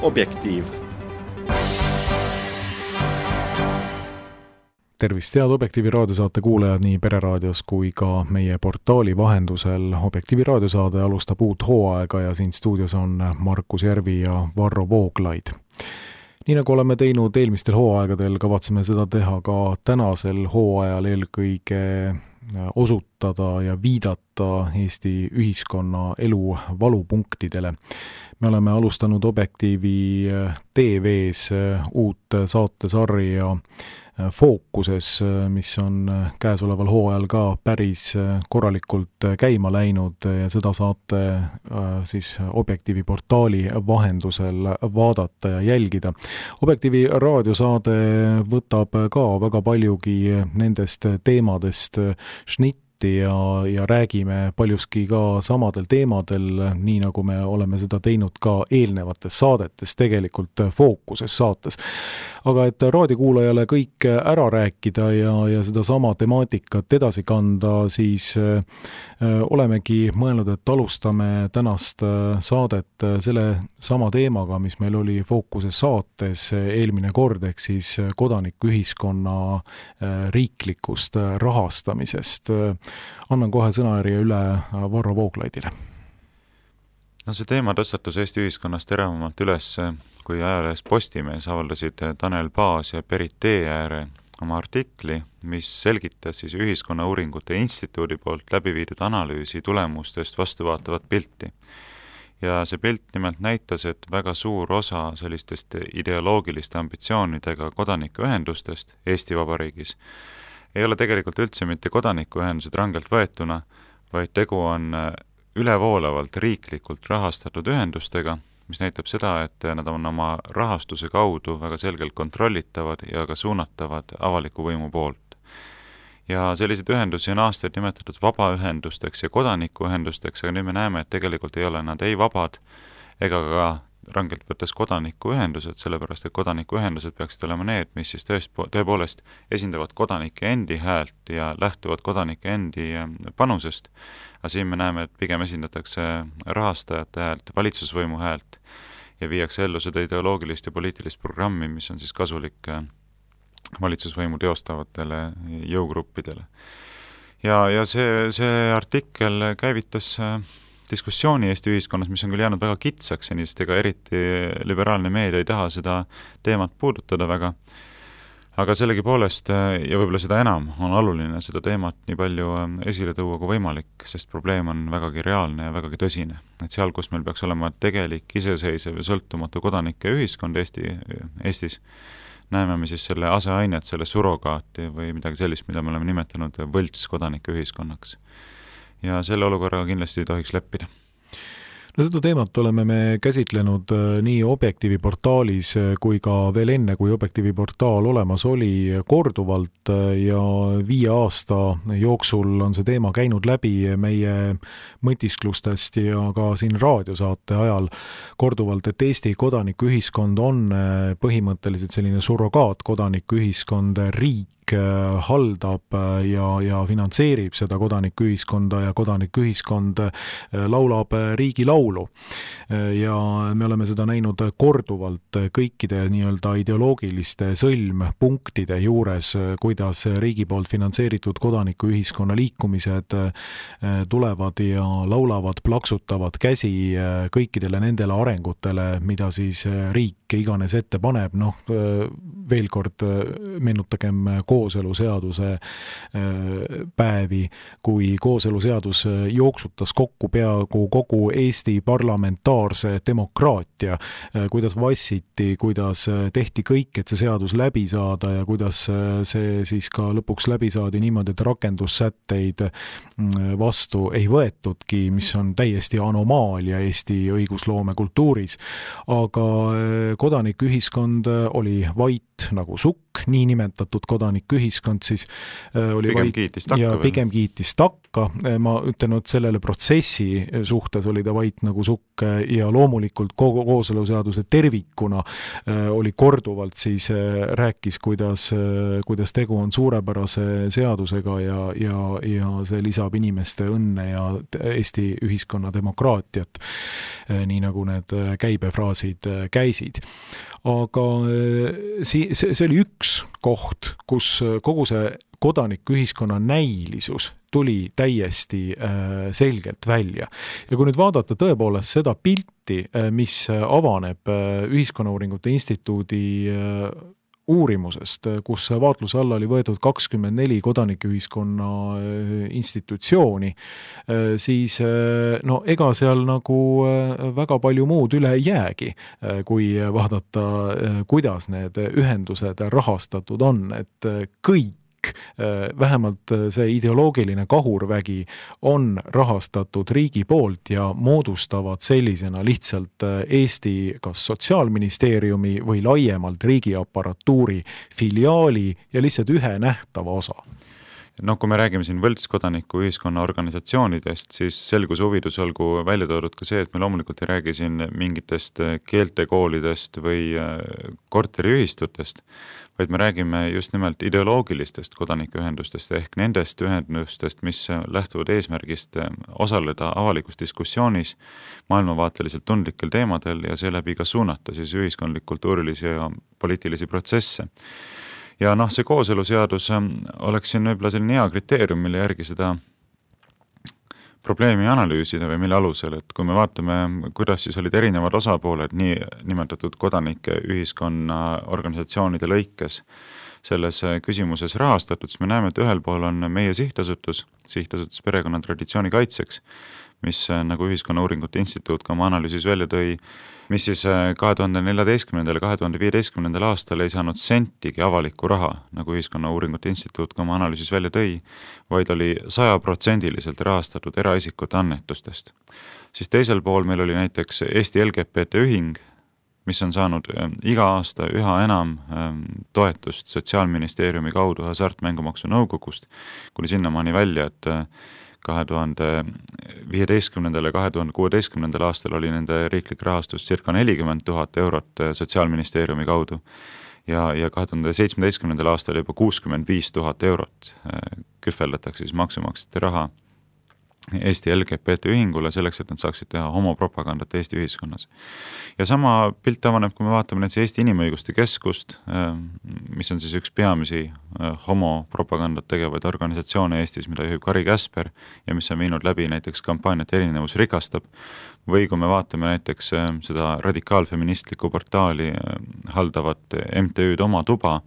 Objektiiv. Tervist, head Objektiivi raadiosaate kuulajad nii Pereraadios kui ka meie portaali vahendusel. Objektiivi raadiosaade alustab uut hooaega ja siin stuudios on Markus Järvi ja Varro Vooglaid. Nii nagu oleme teinud eelmistel hooaegadel, kavatseme seda teha ka tänasel hooajal eelkõige osutada ja viidata Eesti ühiskonna elu valupunktidele. Me oleme alustanud Objektiivi TV-s uut saatesarja Fookuses, mis on käesoleval hooajal ka päris korralikult käima läinud ja seda saate siis Objektiivi portaali vahendusel vaadata ja jälgida. Objektiivi raadiosaade võtab ka väga paljugi nendest teemadest šnitti ja räägime paljuski ka samadel teemadel, nii nagu me oleme seda teinud ka eelnevates saadetes, tegelikult Fookuses saates. Aga et raadiokuulajale kõik ära rääkida ja seda sama temaatikat edasi kanda, siis olemegi mõelnud, et alustame tänast saadet selle sama teemaga, mis meil oli Fookuses saates eelmine kord, ehk siis kodanikuühiskonna riiklikust rahastamisest. Annan kohe sõnajärje üle Varro Vooglaidile. No see teema tõstatus Eesti ühiskonnast teravamalt üles, kui ajalehes Postimees avaldasid Tanel Paas ja Berit Teeääre oma artikli, mis selgitas siis Ühiskonnauuringute Instituudi poolt läbi viidud analüüsi tulemustest vastuvaatavat pilti. Ja see pilt nimelt näitas, et väga suur osa sellistest ideoloogiliste ambitsioonidega kodanikuühendustest Eesti Vabariigis ei ole tegelikult üldse mitte kodanikuühendused rangelt võetuna, vaid tegu on ülevoolavalt riiklikult rahastatud ühendustega, mis näitab seda, et nad on oma rahastuse kaudu väga selgelt kontrollitavad ja ka suunatavad avaliku võimu poolt. Ja selliseid ühendusi on aastaid nimetatud vabaühendusteks ja kodanikuühendusteks, aga nüüd me näeme, et tegelikult ei ole nad ei vabad ega ka rangelt võttes kodanikuühendused, sellepärast et kodanikuühendused peaksid olema need, mis siis tõepoolest esindavad kodanike endi häält ja lähtuvad kodanike endi panusest. Aga siin me näeme, et pigem esindatakse rahastajate häält, valitsusvõimu häält ja viiakse ellu seda ideoloogilist ja poliitilist programmi, mis on siis kasulik valitsusvõimu teostavatele jõugruppidele. Ja see artikkel käivitas diskussiooni Eesti ühiskonnas, mis on küll jäänud väga kitsaks, sest ega eriti liberaalne meedia ei taha seda teemat puudutada väga, aga sellegipoolest ja võib-olla seda enam on oluline seda teemat nii palju esile tuua kui võimalik, sest probleem on vägagi reaalne ja vägagi tõsine. Et seal, kus meil peaks olema tegelik, iseseisev ja sõltumatu kodanike ühiskond Eestis, näeme me siis selle aseainet, selle surogaati või midagi sellist, mida me oleme nimetanud võlts kodanike ühiskonnaks. Ja selle olukorraga kindlasti ei tohiks leppida. No seda teemat oleme me käsitlenud nii Objektiivi portaalis kui ka veel enne, kui Objektiivi portaal olemas oli korduvalt ja 5 aasta jooksul on see teema käinud läbi meie mõtisklustest ja ka siin raadiosaate ajal korduvalt, et Eesti kodanikuühiskond on põhimõtteliselt selline surrogaat kodanikuühiskond, riik haldab ja finantseerib seda kodanikuühiskonda ja kodanikuühiskond laulab riigilaulu. Ja me oleme seda näinud korduvalt kõikide nii-öelda ideoloogiliste sõlmpunktide juures, kuidas riigi poolt finantseeritud kodanikuühiskonna liikumised tulevad ja laulavad, plaksutavad käsi kõikidele nendele arengutele, mida siis riik iganes ette paneb. Veel kord meenutagem kooseluseaduse päevi, kui kooseluseadus jooksutas kokku peaaegu kogu Eesti parlamentaarse demokraatia, kuidas vassiti, kuidas tehti kõik, et see seadus läbi saada ja kuidas see siis ka lõpuks läbi saadi niimoodi, et rakendussätteid vastu ei võetudki, mis on täiesti anomaalia Eesti õigusloome kultuuris. Aga kodanikuühiskond oli vait, vait nagu sukk, niinimetatud kodanikuühiskond siis oli pigem vait kiitis takka ja veel. pigem kiitis takka. Ma ütlen, et sellele protsessi suhtes oli ta vait nagu sukk ja loomulikult kooseluseaduse tervikuna oli korduvalt siis rääkis, kuidas tegu on suurepärase seadusega ja see lisab inimeste õnne ja Eesti ühiskonna demokraatiat, nii nagu need käibefraasid käisid. Aga see oli üks koht, kus kogu see kodanikuühiskonna näilisus tuli täiesti selgelt välja. Ja kui nüüd vaadata tõepoolest seda pilti, mis avaneb Ühiskonnauuringute Instituudi uurimusest, kus vaatluse alla oli võetud 24 kodanikuühiskonna institutsiooni, siis no ega seal nagu väga palju muud üle ei jäägi, kui vaadata, kuidas need ühendused rahastatud on, et kõik vähemalt see ideoloogiline kahurvägi on rahastatud riigi poolt ja moodustavad sellisena lihtsalt Eesti kas Sotsiaalministeeriumi või laiemalt riigiaparatuuri filiaali ja lihtsalt ühe nähtava osa. No kui me räägime siin võltskodaninku ühiskonna organisatsioonidest, siis selgus huvidus olgu välja toodud ka see, et me loomulikult ei räägi siin mingitest keeltekoolidest või korteriühistutest, vaid me räägime just nimelt ideoloogilistest kodanikuühendustest ehk nendest ühendustest, mis lähtuvad eesmärgist osaleda avalikus diskussioonis maailmavaateliselt tundlikel teemadel ja seeläbi ka suunata siis ühiskondlik-kultuurilisi ja poliitilisi protsesse. Ja see kooseluseadus oleks siin võib-olla selline hea kriteerium, mille järgi seda probleemi analüüsida või mille alusel, et kui me vaatame, kuidas siis olid erinevad osapooled nii nimetatud kodanike ühiskonna organisatsioonide lõikes selles küsimuses rahastatud, siis me näeme, et ühel pool on meie sihtasutus Perekonna traditsiooni kaitseks, mis nagu Ühiskonnauuringute Instituut ka oma analüüsis välja tõi, mis siis 2014. ja 2015. aastal ei saanud sentigi avalikku raha, nagu Ühiskonnauuringute Instituut ka oma analüüsis välja tõi, vaid oli 100% rahastatud eraisikute annetustest. Siis teisel pool meil oli näiteks Eesti LGBT ühing, mis on saanud iga aasta üha enam toetust Sotsiaalministeeriumi kaudu Hasartmängumaksu Nõukogust, kuni sinnamaani välja, et 2015. ja 2016. aastal oli nende riiklik rahastus circa 40 000 eurot Sotsiaalministeeriumi kaudu ja 2017. aastal juba 65 000 eurot kühveldatakse siis maksumaksjate raha Eesti LGBT ühingule selleks, et nad saaksid teha homopropagandat Eesti ühiskonnas. Ja sama pilt avaneb, kui me vaatame näiteks Eesti Inimõiguste Keskust, mis on siis üks peamisi homopropagandat tegevaid organisatsioone Eestis, mida juhib Kari Käsper ja mis on viinud läbi näiteks kampaaniat Erinevus rikastab, või kui me vaatame näiteks seda radikaalfeministlikku portaali haldavat MTÜ-d Oma Tuba,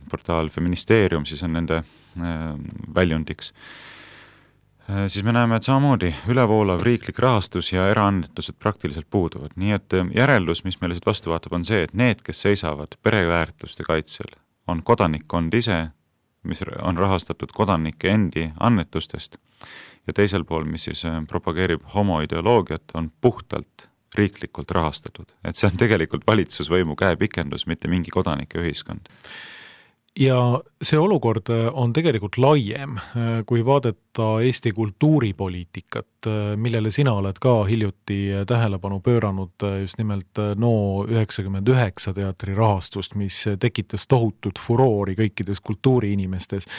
portaal Feministeerium siis on nende väljundiks, siis me näeme, et samamoodi ülevoolav riiklik rahastus ja eraannetused praktiliselt puuduvad. Nii et järeldus, mis meile siit vastu vaatab, on see, et need, kes seisavad pereväärtuste kaitsel, on kodanikkond ise, mis on rahastatud kodanike endi annetustest ja teisel pool, mis siis propageerib homoideoloogiat, on puhtalt riiklikult rahastatud. Et see on tegelikult valitsusvõimu käepikendus, mitte mingi kodanike ühiskond. Ja see olukord on tegelikult laiem, kui vaadata Eesti kultuuripoliitikat, millele sina oled ka hiljuti tähelepanu pööranud just nimelt NO99 teatri rahastust, mis tekitas tohutut furoori kõikides kultuuriinimestes,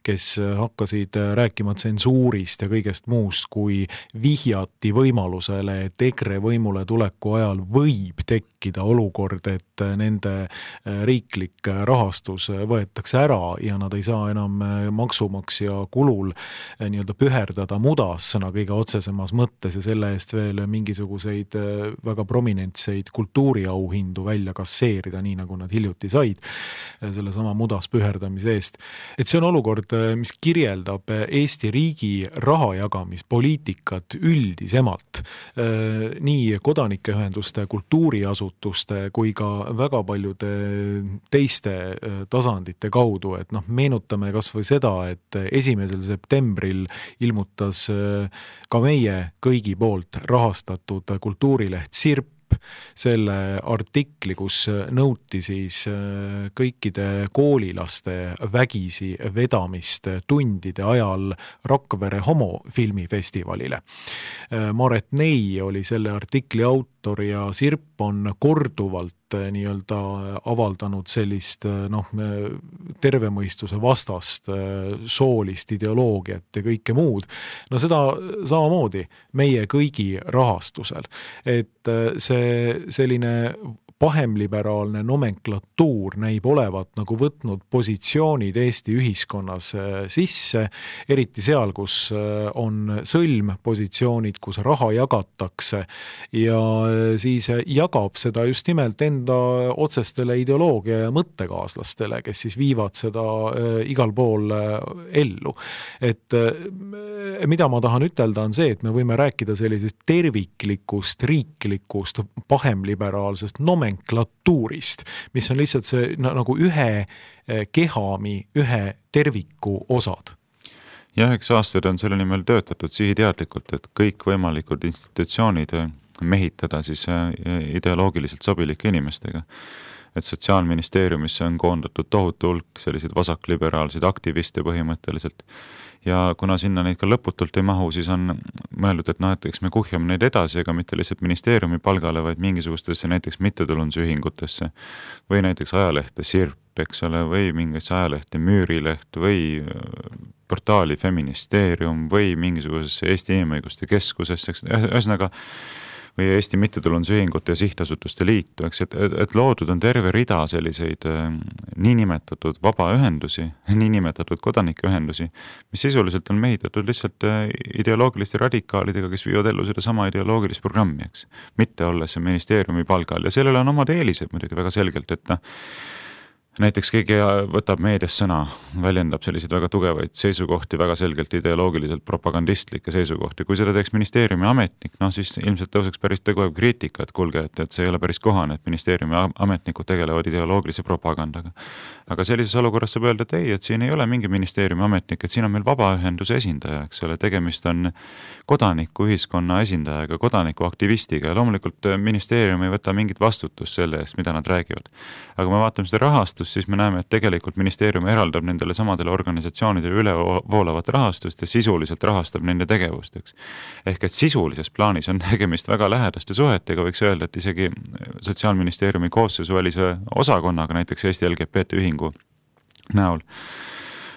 kes hakkasid rääkima tsensuurist ja kõigest muust, kui vihjati võimalusele, et EKRE võimule tuleku ajal võib tekkida olukord, et nende riiklik rahastus võetakse ära ja nad ei saa enam maksumaksja kulul nii-öelda püherdada mudas sõna kõige otsesemas mõttes ja selle eest veel mingisuguseid väga prominentseid kultuuriauhindu välja kasseerida, nii nagu nad hiljuti said selle sama mudas püherdamise eest. Et see on olukord, mis kirjeldab Eesti riigi rahajagamispoliitikat üldisemalt, nii kodanikeühenduste, kultuuriasutuste kui ka väga paljude teiste tasandite kaudu, et meenutame kas või seda, et 1. septembril ilmutas ka meie kõigi poolt rahastatud kultuurileht Sirp, selle artikli, kus nõuti siis kõikide koolilaste vägisi vedamist tundide ajal Rakvere homofilmifestivalile. Maret Ney oli selle artikli autor ja Sirp on korduvalt nii-öelda avaldanud sellist tervemõistuse vastast soolist ideoloogiat ja kõike muud. No seda samamoodi meie kõigi rahastusel. Et see selline pahemliberaalne nomenklatuur näib olevat nagu võtnud positsioonid Eesti ühiskonnas sisse, eriti seal, kus on sõlmpositsioonid, kus raha jagatakse ja siis jagab seda just nimelt enda otsestele ideoloogia ja mõttekaaslastele, kes siis viivad seda igal pool ellu. Et mida ma tahan ütelda on see, et me võime rääkida sellisest terviklikust, riiklikust, pahemliberaalsest nomenklatuurist, mis on lihtsalt see nagu ühe kehami, ühe terviku osad. Jah, eks aastaid on selle nimel töötatud sihiteadlikult, et kõik võimalikud institutsioonid mehitada siis ideoloogiliselt sobilike inimestega. Et Sotsiaalministeeriumisse on koondatud tohutu hulk selliseid vasakliberaalseid aktiviste põhimõtteliselt. Ja kuna sinna neid ka lõputult ei mahu, siis on mõeldud, et eks me kuhjame neid edasi, aga mitte lihtsalt ministeeriumi palgale, vaid mingisugustesse näiteks mittetulundusühingutesse või näiteks ajalehte Sirp, eks ole, või mingisse ajalehte Müürileht või portaali Feministeerium või mingisugusesse Eesti Inimõiguste Keskusesse, ühesõnaga või Eesti mittetulundusühingute ja sihtasutuste liitu, eks, et loodud on terve rida selliseid niinimetatud vabaühendusi, niinimetatud kodanikeühendusi, mis sisuliselt on mehitatud lihtsalt ideoloogiliste radikaalidega, kes viivad ellu seda sama ideoloogilist programmi, eks, mitte olles ministeeriumi palgal. Ja sellele on omad eelised muidugi väga selgelt, et näiteks keegi võtab meedias sõna, väljendab selliseid väga tugevaid seisukohti, väga selgelt ideoloogiliselt propagandistlikke seisukohti. Kui seda teeks ministeeriumi ametnik, siis ilmselt tõuseks päris tugev kriitika, et kuulge, et see ei ole päris kohane, et ministeeriumi ametnikud tegelevad ideoloogilise propagandaga. Aga sellises olukorras saab öelda, et ei, et siin ei ole mingi ministeeriumi ametnik, et siin on meil vabaühenduse esindaja, eks ole, tegemist on kodanikuühiskonna esindajaga, kodanikuaktivistiga ja loomulikult ministeerium ei võta mingit vastutust selle eest, mida nad räägivad. Aga me vaatame seda rahastust, siis me näeme, et tegelikult ministeerium eraldab nendele samadele organisatsioonidele ülevoolavat rahastust ja sisuliselt rahastab nende tegevust, eks. Ehk et sisulises plaanis on tegemist väga lähedaste suhetega, võiks öelda, et isegi Sotsiaalministeeriumi koosseisuvälise osakonnaga, näiteks Eesti LGBT ühingu näol.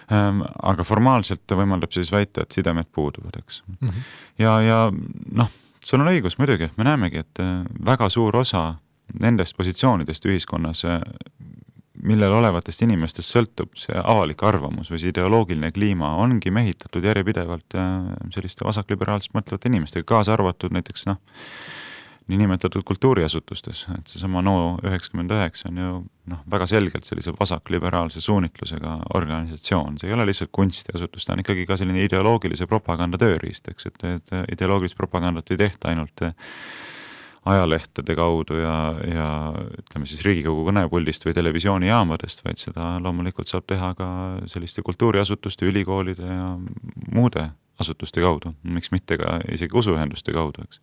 Aga formaalselt võimaldab siis väita, et sidemed puuduvad, eks. Ja sul on õigus muidugi, me näemegi, et väga suur osa nendest positsioonidest ühiskonnas, millel olevatest inimestest sõltub see avalik arvamus või see ideoloogiline kliima, ongi mehitatud järjepidevalt selliste vasakliberaalselt mõtlevate inimestega, kaasa arvatud näiteks niinimetatud kultuuriasutustes, et seesama NO99 on ju väga selgelt sellise vasakliberaalse suunitlusega organisatsioon, see ei ole lihtsalt kunstiasutus, ta on ikkagi ka selline ideoloogilise propaganda tööriist, eks, et ideoloogilist propagandat ei tehta ainult ajalehtede kaudu ja ütleme siis Riigikogu kõnepuldist või televisioonikaamadest, vaid seda loomulikult saab teha ka selliste kultuuriasutuste, ülikoolide ja muude asutuste kaudu, miks mitte ka isegi usuühenduste kaudu, eks.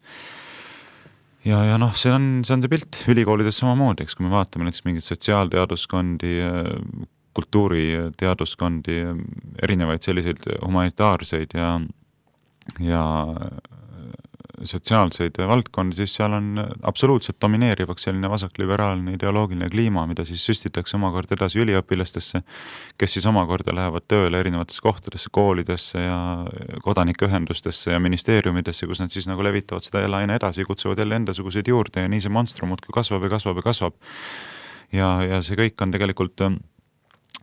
Ja see on see pilt ülikoolides samamoodi, eks, kui me vaatame näiteks mingit sotsiaalteaduskondi, kultuuriteaduskondi, erinevaid selliseid humanitaarseid ja sotsiaalseid valdkondi, siis seal on absoluutselt domineerivaks selline vasakliberaalne ideoloogiline kliima, mida siis süstitakse omakorda edasi üliõpilastesse, kes siis omakorda lähevad tööle erinevatesse kohtadesse, koolidesse ja kodanikeühendustesse ja ministeeriumidesse, kus nad siis nagu levitavad seda jälle aina edasi, kutsuvad jälle endasuguseid juurde ja nii see monstrum muudkui kasvab ja kasvab ja kasvab. Ja see kõik on tegelikult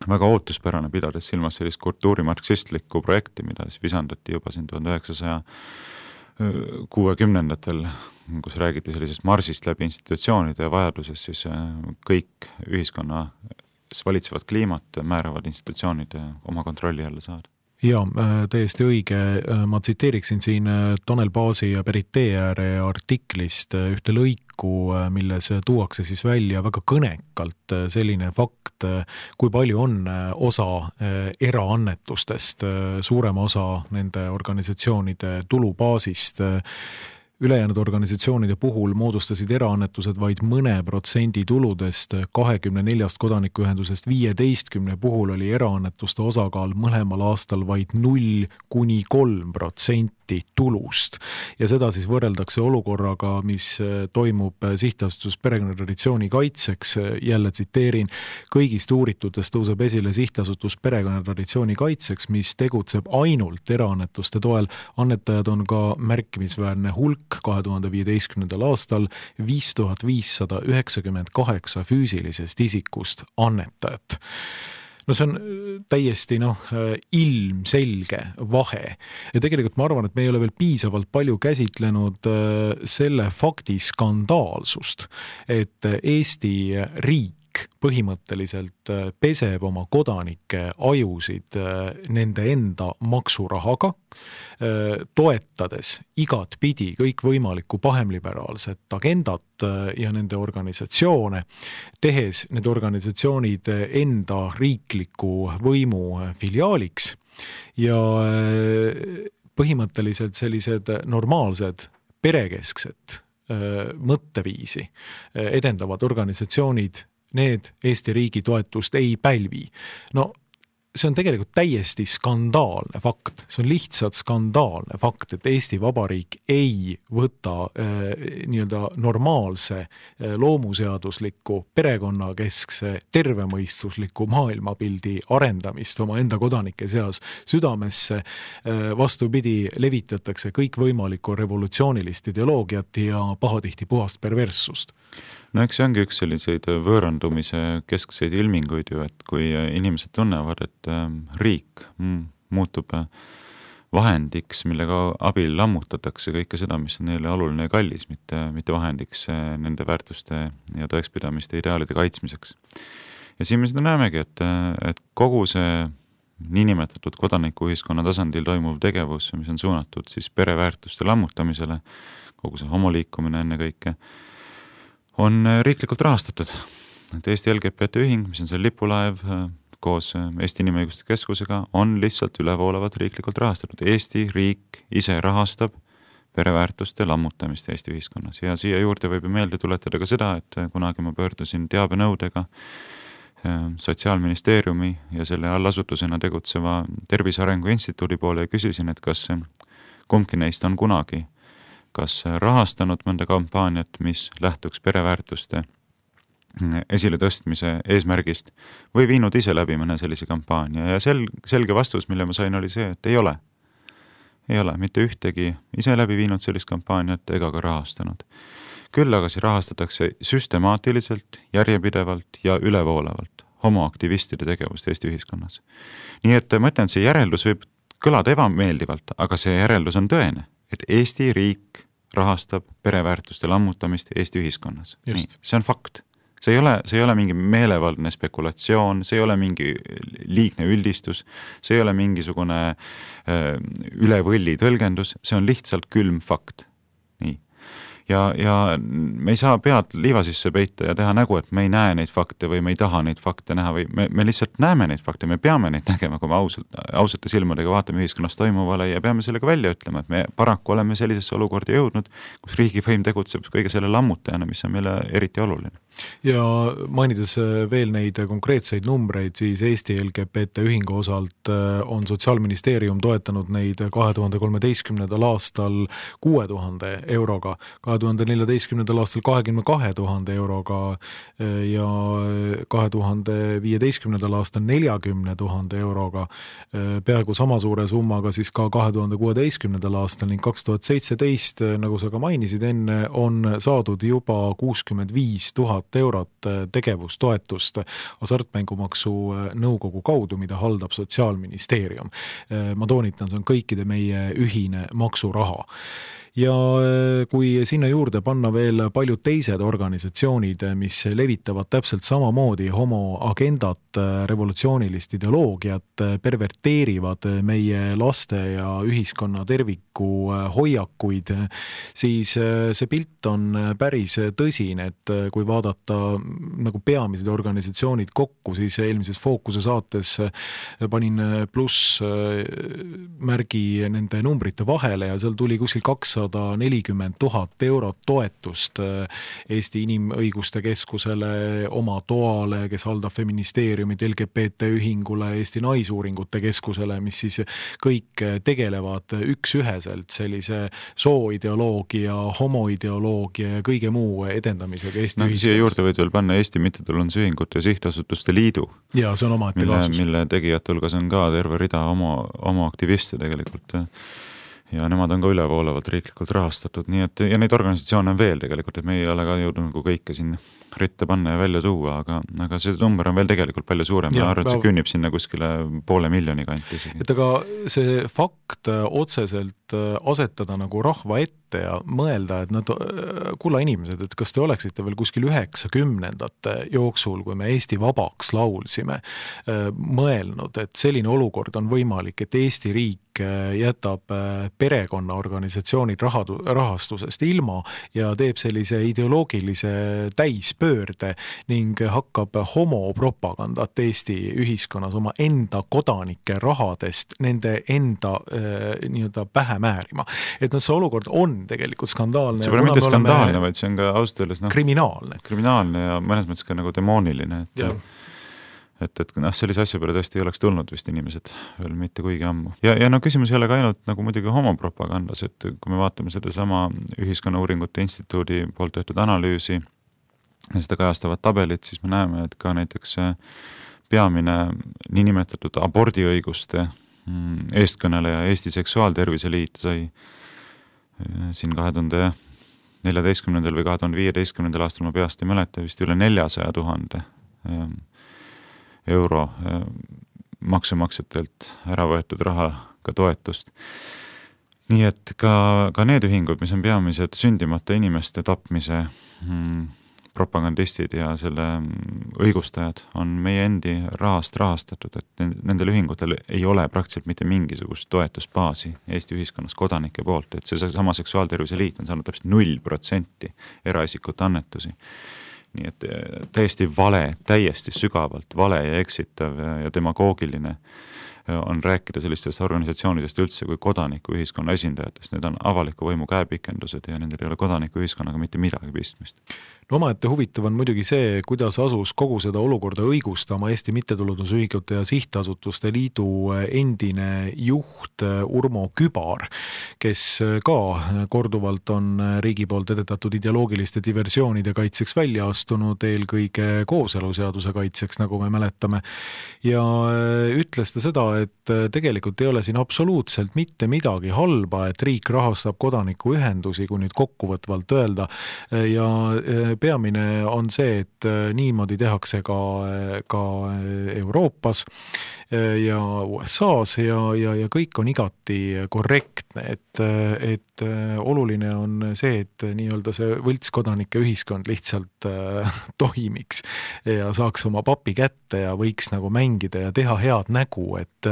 väga ootuspärane, pidades silmas sellist kultuurimarksistlikku projekti, mida siis visandati juba siin 1960-ndatel, kus räägiti sellisest marsist läbi institutsioonide ja vajadusest siis kõik ühiskonna valitsevad kliimat määravad institutsioonid oma kontrolli alla saada. Ja, täiesti õige. Ma tsiteeriksin siin Tanel Paasi ja Berit Teeääre artiklist ühte lõiku, milles tuuakse siis välja väga kõnekalt selline fakt, kui palju on osa eraannetustest, suurema osa nende organisatsioonide tulubaasist ülejäänud organisatsioonide puhul moodustasid eraannetused vaid mõne protsendi tuludest, 24 kodanikuühendusest 15 puhul oli eraannetuste osakaal mõlemal aastal vaid 0–3% tulust. Ja seda siis võrreldakse olukorraga, mis toimub sihtasutus Perekonnatraditsiooni kaitseks. Jälle tsiteerin, kõigist uuritutest tõuseb esile sihtasutus Perekonnatraditsiooni kaitseks, mis tegutseb ainult eraannetuste toel. Annetajad on ka märkimisväärne hulk 2015. aastal 5598 füüsilisest isikust annetajat. No see on täiesti ilmselge vahe. Ja tegelikult ma arvan, et me ei ole veel piisavalt palju käsitlenud selle fakti skandaalsust, et Eesti riik põhimõtteliselt peseb oma kodanike ajusid nende enda maksurahaga, toetades igat pidi kõikvõimalikku pahemliberaalset agendat ja nende organisatsioone, tehes need organisatsioonid enda riikliku võimu filiaaliks ja põhimõtteliselt sellised normaalsed perekesksed mõtteviisi edendavad organisatsioonid, need Eesti riigi toetust ei pälvi. No see on tegelikult täiesti skandaalne fakt. See on lihtsalt skandaalne fakt, et Eesti Vabariik ei võta nii-öelda normaalse loomuseadusliku perekonnakeskse tervemõistusliku maailmapildi arendamist oma enda kodanike seas südamesse. Vastupidi, levitatakse kõikvõimalikku revolutsioonilist ideoloogiat ja pahatihti puhast perverssust. No eks see ongi üks selliseid võõrandumise keskseid ilminguid ju, et kui inimesed tunnevad, et riik muutub vahendiks, millega abil lammutatakse kõike seda, mis on neile oluline ja kallis, mitte vahendiks nende väärtuste ja tõekspidamiste ideaalide kaitsmiseks. Ja siin me seda näemegi, et kogu see niinimetatud kodanikuühiskonna tasandil toimuv tegevus, mis on suunatud siis pereväärtuste lammutamisele, kogu see homoliikumine enne kõike, on riiklikult rahastatud. Et Eesti LGBT ühing, mis on see lipulaev koos Eesti Inimõiguste Keskusega, on lihtsalt ülevoolavat riiklikult rahastatud. Eesti riik ise rahastab pereväärtuste lammutamist Eesti ühiskonnas. Ja siia juurde võib meelde tuletada ka seda, et kunagi ma pöördusin teabenõudega Sotsiaalministeeriumi ja selle allasutusena tegutseva Tervise Arengu Instituudi poole ja küsisin, et kas kumbki neist on kunagi kas rahastanud mõnda kampaaniat, mis lähtuks pereväärtuste esile tõstmise eesmärgist või viinud ise läbi mõne sellise kampaania. Ja selge vastus, mille ma sain, oli see, et ei ole. Ei ole mitte ühtegi ise läbi viinud sellist kampaaniat ega ka rahastanud. Küll aga see rahastatakse süstemaatiliselt, järjepidevalt ja ülevoolavalt homoaktivistide tegevust Eesti ühiskonnas. Nii et ma ütlen, et see järeldus võib kõlada ebameeldivalt, aga see järeldus on tõene, et Eesti riik rahastab pereväärtuste lammutamist Eesti ühiskonnas. Nii, see on fakt. See ei ole mingi meelevaldne spekulatsioon, see ei ole mingi liigne üldistus, see ei ole mingisugune üle võlli tõlgendus, see on lihtsalt külm fakt. Nii. Ja me ei saa pead liiva sisse peita ja teha nägu, et me ei näe neid fakte või me ei taha neid fakte näha või me lihtsalt näeme neid fakte, me peame neid nägema, kui me ausate silmadega vaatame ühiskonnas toimuvale ja peame sellega välja ütlema, et me paraku oleme sellisesse olukorda jõudnud, kus riigivõim tegutseb kõige selle lammutajana, mis on meile eriti oluline. Ja mainides veel neid konkreetseid numbreid, siis Eesti LGBT ühingu osalt on Sotsiaalministeerium toetanud neid 2013. aastal 6000 euroga, 2014. aastal 22 000 euroga ja 2015. aastal 40 000 euroga, peaaegu sama suure summaga siis ka 2016. aastal ning 2017, nagu sa ka mainisid enne, on saadud juba 65 000 eurot tegevustoetust hasartmängumaksu nõukogu kaudu, mida haldab Sotsiaalministeerium. Ma toonitan, see on kõikide meie ühine maksuraha. Ja kui sinna juurde panna veel paljud teised organisatsioonid, mis levitavad täpselt samamoodi homoagendat, revolutsioonilist ideoloogiat, perverteerivad meie laste ja ühiskonna terviku hoiakuid, siis see pilt on päris tõsine, et kui vaadata nagu peamised organisatsioonid kokku, siis eelmises Fookuse saates panin pluss märgi nende numbrite vahele ja seal tuli kuskil 200 240 000 eurot toetust Eesti Inimõiguste Keskusele, oma toale, kes haldab feministeeriumit, LGBT ühingule, Eesti Naisuuringute Keskusele, mis siis kõik tegelevad üksüheselt sellise sooideoloogia, homoideoloogia ja kõige muu edendamisega Eesti ühiskonnas. Siia juurde võid veel panna Eesti Mittetulundusühingute ja Sihtasutuste Liidu, ja see on omaette kaasus. Mille tegijate hulgas on ka terve rida oma aktiviste tegelikult. Ja nemad on ka ülevoolavalt riiklikult rahastatud, nii et, ja neid organisatsioone on veel tegelikult, et me ei ole ka jõudnud nagu kõike siin ritta panna ja välja tuua, aga see number on veel tegelikult palju suurem. Ma arvan, et see künnib sinna kuskile 500 000 kanti isegi. Et aga see fakt otseselt asetada nagu rahva ette ja mõelda, et nad, kulla inimesed, et kas te oleksite veel kuskil 90ndate jooksul, kui me Eesti vabaks laulsime, mõelnud, et selline olukord on võimalik, et Eesti riik jätab perekonnaorganisatsioonid rahastusest ilma ja teeb sellise ideoloogilise täispöörde ning hakkab homopropagandat Eesti ühiskonnas oma enda kodanike rahadest nende enda nii-öelda pähe määrima. Et see olukord on tegelikult skandaalne. See pole mitte skandaalne, vaid see on ka ausalt öeldes kriminaalne ja mõnes mõttes ka nagu demooniline. Et sellise asja peale tõesti ei oleks tulnud vist inimesed veel mitte kuigi ammu. Ja küsimus ei ole ka ainult nagu muidugi homopropagandas, et kui me vaatame seda sama Ühiskonnauuringute Instituudi poolt tehtud analüüsi ja seda kajastavat tabelit, siis me näeme, et ka näiteks peamine niinimetatud abordiõiguste eestkõneleja Eesti Seksuaaltervise Liit sai siin 2014. või 2015. aastal, ma peast ei mäleta, vist üle 400 000 euro maksumaksjatelt ära võetud rahaga toetust. Nii et ka need ühingud, mis on peamised sündimata inimeste tapmise propagandistid ja selle õigustajad, on meie endi rahast rahastatud, et nendel ühingutel ei ole praktiliselt mitte mingisugust toetusbaasi Eesti ühiskonnas kodanike poolt, et see sama Seksuaaltervise Liit on saanud täpselt 0% eraisikute annetusi. Nii et täiesti vale, täiesti sügavalt vale ja eksitav ja demagoogiline on rääkida sellistest organisatsioonidest üldse kui kodaniku ühiskonna esindajatest. Need on avaliku võimu käepikendused ja nendel ei ole kodaniku ühiskonnaga mitte midagi pistmist. No omaette huvitav on muidugi see, kuidas asus kogu seda olukorda õigustama Eesti Mittetulundusühingute ja Sihtasutuste Liidu endine juht Urmo Kübar, kes ka korduvalt on riigi poolt edetatud ideoloogiliste diversioonide kaitseks välja astunud, eelkõige kooseluseaduse kaitseks, nagu me mäletame. Ja ütles ta seda, et tegelikult ei ole siin absoluutselt mitte midagi halba, et riik rahastab kodanikuühendusi, kui nüüd kokkuvõtvalt öelda, ja peamine on see, et niimoodi tehakse ka Euroopas ja USAs ja kõik on igati korrektne, et oluline on see, et nii-öelda see võltskodanike ühiskond lihtsalt toimiks ja saaks oma papi kätte ja võiks nagu mängida ja teha head nägu, et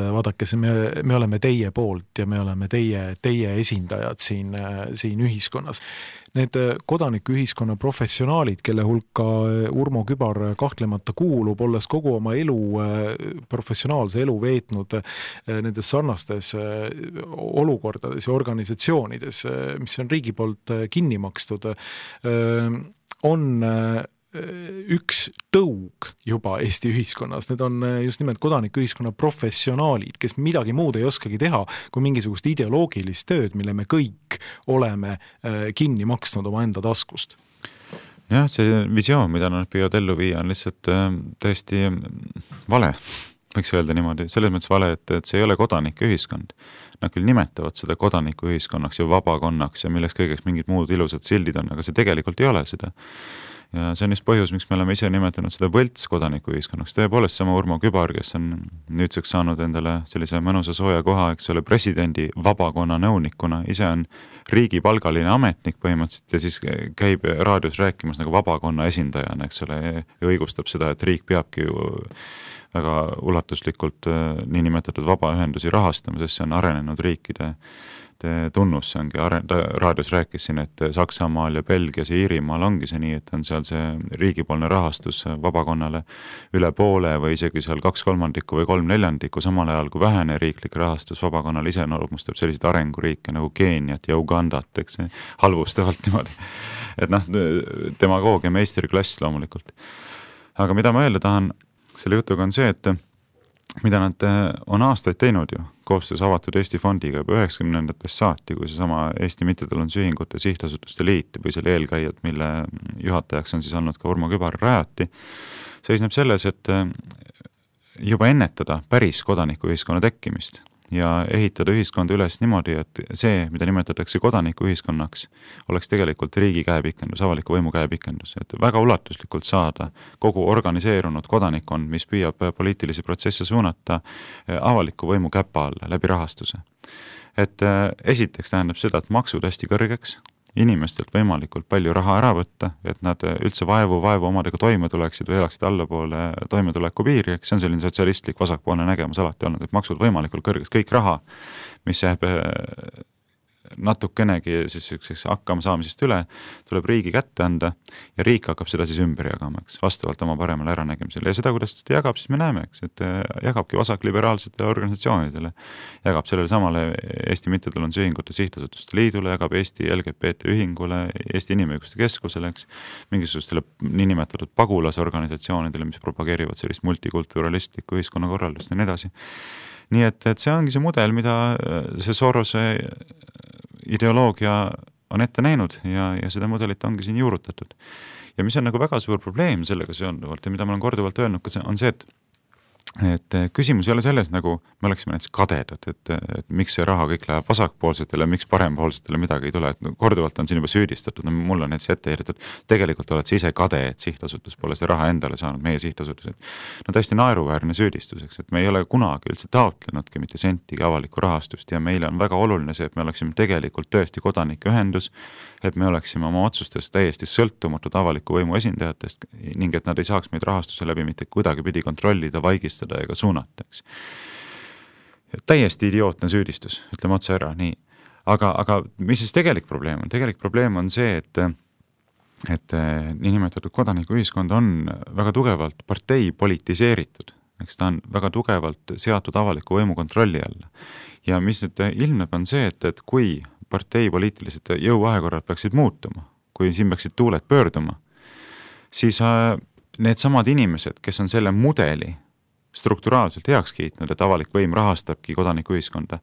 vaadake, me oleme teie poolt ja me oleme teie esindajad siin ühiskonnas. Need kodanikuühiskonna professionaalid, kelle hulka Urmo Kübar kahtlemata kuulub, olles kogu oma elu, professionaalse elu veetnud nendes sarnastes olukordades ja organisatsioonides, mis on riigi poolt kinni makstud, on üks tõug juba Eesti ühiskonnas. Need on just nimelt kodanikuühiskonna professionaalid, kes midagi muud ei oskagi teha kui mingisugust ideoloogilist tööd, mille me kõik oleme kinni maksnud oma enda taskust. Jah, see visioon, mida nad püüavad ellu viia, on lihtsalt tõesti vale, võiks öelda niimoodi. Selles mõttes vale, et see ei ole kodanikuühiskond. Nad küll nimetavad seda kodanikuühiskonnaks ja vabakonnaks ja milleks kõigeks mingid muud ilusad sildid on, aga see tegelikult ei ole seda. Ja see on just põhjus, miks me oleme ise nimetanud seda võlts kodanikuühiskonnaks. Tõepoolest sama Urmo Kübar, kes on nüüdseks saanud endale sellise mõnusa sooja koha, eks ole, presidendi vabakonna nõunikuna, ise on riigipalgaline ametnik põhimõtteliselt ja siis käib raadios rääkimas nagu vabakonna esindajana, eks ole, ja õigustab seda, et riik peabki ju väga ulatuslikult niinimetatud vabaühendusi rahastama, sest see on arenenud riikide tunnus, see ongi, raadios rääkis siin, et Saksamaal ja Belgias ja Iirimaal ongi see nii, et on seal see riigipoolne rahastus vabakonnale üle poole või isegi seal 2/3 või 3/4, samal ajal kui vähene riiklik rahastus vabakonnale iseloomustab selliseid arenguriike nagu Keeniat ja Ugandat, eks see halvustavalt niimoodi. Et demagoogia meistriklass loomulikult. Aga mida ma öelda tahan selle jutuga on see, et mida nad on aastaid teinud ju, koostöös Avatud Eesti fondiga juba 90-ndatest saati, kui seesama Eesti Mittetulundusühingute Sihtasutuste Liit või selle eelkäijad, mille juhatajaks on siis olnud ka Urmo Kübar, rajati, seisneb selles, et juba ennetada päris kodanikuühiskonna tekkimist ja ehitada ühiskonda üles niimoodi, et see, mida nimetatakse kodanikuühiskonnaks, oleks tegelikult riigi käepikendus, avaliku võimu käepikendus, et väga ulatuslikult saada kogu organiseerunud kodanikkond, mis püüab poliitilisi protsesse suunata avaliku võimu käpa alla läbi rahastuse. Et esiteks tähendab seda, et maksud hästi kõrgeks, inimestelt võimalikult palju raha ära võtta, et nad üldse vaevu omadega toime tuleksid või elaksid allapoole toimetuleku piiri, eks see on selline sotsialistlik vasakpoolne nägemus alati olnud, et maksud võimalikult kõrgeks, kõik raha, mis jääb natukenegi siis hakkama saamisest üle, tuleb riigi kätte anda ja riik hakkab seda siis ümber jagama, eks, vastavalt oma paremale äranägemisele. Ja seda, kuidas seda jagab, siis me näeme, eks, et jagabki vasakliberaalsetele organisatsioonidele, jagab sellele samale Eesti Mittetulundusühingute Sihtasutuste Liidule, jagab Eesti LGBT ühingule, Eesti Inimõiguste Keskusele, eks, mingisugustele niinimetatud pagulasorganisatsioonidele, mis propageerivad sellist multikulturalistlikku ühiskonnakorraldust ja nii edasi. Nii et see ongi see mudel, mida see Sorose ideoloogia on ette näinud ja seda mudelit ongi siin juurutatud. Ja mis on nagu väga suur probleem sellega seonduvalt ja mida ma olen korduvalt öelnud, on see, et küsimus ei ole selles, nagu me oleksime näiteks kadedad, et miks see raha kõik läheb vasakpoolsetele, miks parempoolsetele midagi ei tule, et korduvalt on siin juba süüdistatud, mul on näiteks ette heidetud, tegelikult oled sa ise kade, et sihtasutus pole see raha endale saanud, meie sihtasutused. No täiesti naeruväärne süüdistuseks, et me ei ole kunagi üldse taotlenudki mitte sentigi avalikku rahastust ja meile on väga oluline see, et me oleksime tegelikult tõesti kodanikuühendus, et me oleksime oma otsustes täiesti sõltumatud avaliku võimu esindajatest ning et nad ei saaks meid rahastuse läbi mitte kuidagi pidi kontrollida, vaigistada ega suunata, eks. Täiesti idiootne süüdistus, ütleme otse ära, nii. Aga mis siis tegelik probleem on? Tegelik probleem on see, et niinimetatud kodanikuühiskond on väga tugevalt partei politiseeritud, eks ta on väga tugevalt seatud avaliku võimu kontrolli alla. Ja mis nüüd ilmneb on see, et kui partei poliitilised jõuvahekorrad peaksid muutuma, kui siin peaksid tuuled pöörduma, siis need samad inimesed, kes on selle mudeli strukturaalselt heaks kiitnud, et avalik võim rahastabki kodanikuühiskonda,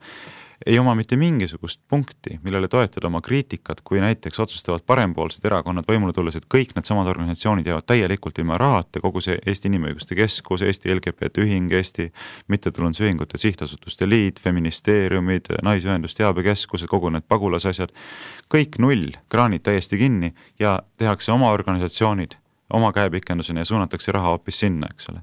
ei oma mitte mingisugust punkti, millele toetada oma kriitikat, kui näiteks otsustavad parempoolsed erakonnad võimule tulles, et kõik need samad organisatsioonid jäävad täielikult ilma rahata, kogu see Eesti Inimõiguste Keskus, Eesti LGBT ühing, Eesti Mittetulundusühingute Sihtasutuste Liit, feministeeriumid, naisühendusteabekeskused, kogu need pagulasasjad, kõik null, kraanid täiesti kinni ja tehakse oma organisatsioonid oma käepikendusena ja suunatakse raha hoopis sinna, eks ole.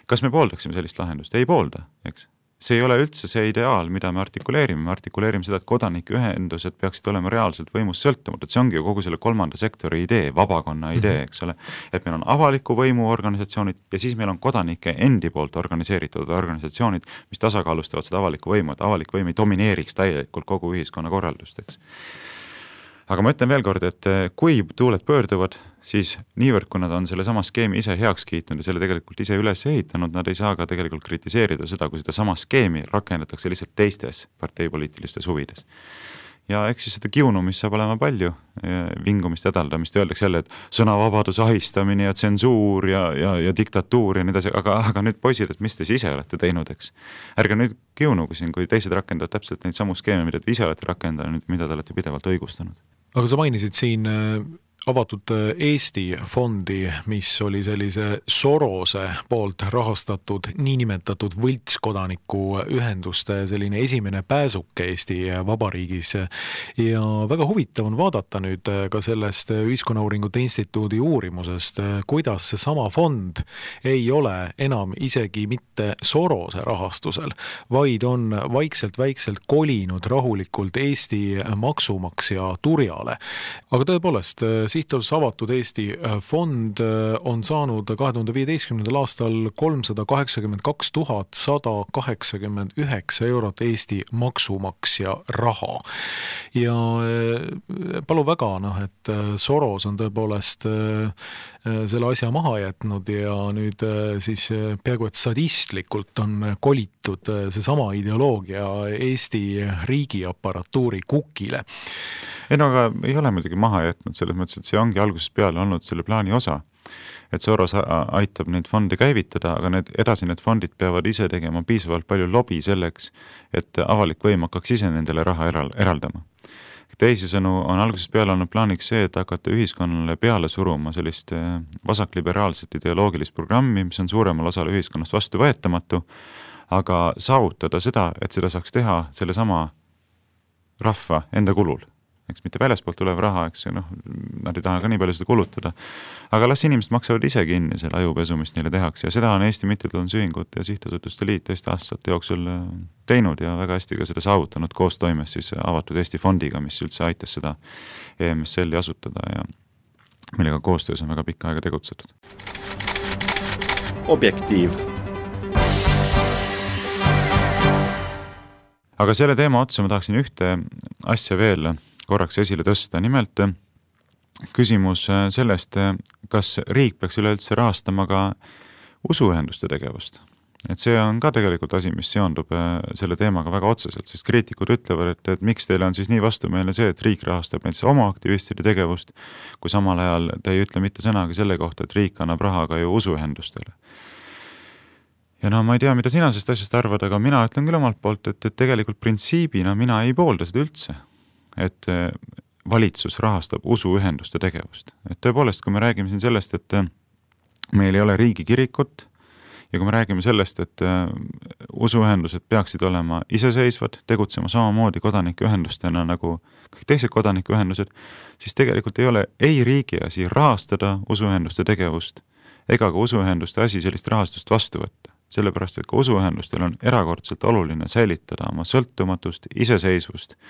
Kas me pooldaksime sellist lahendust? Ei poolda, eks. See ei ole üldse see ideaal, mida me artikuleerime seda, et kodanikuühendused peaksid olema reaalselt võimust sõltumatud, see ongi ju kogu selle kolmanda sektori idee, vabakonna idee, eks ole, et meil on avaliku võimu organisatsioonid ja siis meil on kodanike endi poolt organiseeritud organisatsioonid, mis tasakaalustavad seda avalikku võimu, et avalik võim ei domineeriks täielikult kogu ühiskonna korraldust, eks. Aga ma ütlen veel kord, et kui tuuled pöörduvad, siis niivõrd, kui nad on selle sama skeemi ise heaks kiitnud ja selle tegelikult ise üles ehitanud, nad ei saa ka tegelikult kritiseerida seda, kui seda sama skeemi rakendatakse lihtsalt teistes parteipoliitilistes huvides. Ja eks siis seda kiunumist saab olema palju, vingumist edaldamist, öeldakse jälle, et sõnavabaduse ahistamine ja tsensuur ja diktatuur ja nii edasi, aga nüüd poisid, et mis te ise olete teinud, eks. Ärge nüüd kiunugu siin, kui teised rakendavad täpselt neid samu skeeme, mida te ise olete rakendanud, mida te olete pidevalt õigustanud. Aga sa mainisid siin Avatud Eesti fondi, mis oli sellise Sorose poolt rahastatud niinimetatud võltskodanikuühenduste selline esimene pääsuke Eesti Vabariigis. Ja väga huvitav on vaadata nüüd ka sellest Ühiskonnauuringute Instituudi uurimusest, kuidas see sama fond ei ole enam isegi mitte Sorose rahastusel, vaid on vaikselt kolinud rahulikult Eesti maksumaksja turjale. Aga tõepoolest, Sihtasutus Avatud Eesti fond on saanud 2015. aastal 382 189 eurot Eesti maksumaksja raha. Ja palu väga, et Soros on tõepoolest selle asja maha jätnud ja nüüd siis peaaegu et sadistlikult on kolitud seesama ideoloogia Eesti riigiaparatuuri kukile. Ei no aga ei ole muidugi maha jätnud selles mõttes, et see ongi algusest peale olnud selle plaani osa. Et Soros aitab neid fonde käivitada, aga need fondid peavad ise tegema piisavalt palju lobi selleks, et avalik võim hakkaks ise nendele raha eraldama. Teisisõnu on algusest peale olnud plaaniks see, et hakata ühiskonnale peale suruma sellist vasakliberaalset ideoloogilist programmi, mis on suuremal osal ühiskonnast vastuvõetamatu, aga saavutada seda, et seda saaks teha selle sama rahva enda kulul. Eks mitte väljaspoolt tulev raha, nad ei taha ka nii palju seda kulutada. Aga las inimesed maksavad ise kinni selle ajupesu, mis neile tehakse ja seda on Eesti Mittetulundusühingute ja Sihtasutuste Liit tõesti aastate jooksul teinud ja väga hästi ka seda saavutanud koostoimes siis Avatud Eesti fondiga, mis üldse aitas seda EMSL-i asutada ja millega koostöös on väga pikka aega tegutsetud. Objektiiv. Aga selle teema otsa ma tahaksin ühte asja veel korraks esile tõsta. Nimelt küsimus sellest, kas riik peaks üleüldse rahastama ka usuühenduste tegevust. Et see on ka tegelikult asi, mis seondub selle teemaga väga otseselt, sest kriitikud ütlevad, et miks teile on siis nii vastumeelne see, et riik rahastab näiteks oma aktivistide tegevust, kui samal ajal te ei ütle mitte sõnagi selle kohta, et riik annab raha ka ju usuühendustele. Ja ma ei tea, mida sina sellest asjast arvad, aga mina ütlen küll omalt poolt, et tegelikult printsiibina mina ei poolda seda üldse, et valitsus rahastab usuühenduste tegevust. Et tõepoolest, kui me räägime siin sellest, et meil ei ole riigikirikut ja kui me räägime sellest, et usuühendused peaksid olema iseseisvad, tegutsema samamoodi kodanikuühendustena nagu kõik teised kodanikuühendused, siis tegelikult ei ole ei riigi asi rahastada usuühenduste tegevust ega ka usuühenduste asi sellist rahastust vastu võtta. Sellepärast, et ka usuühendustel on erakordselt oluline säilitada oma sõltumatust, iseseisvust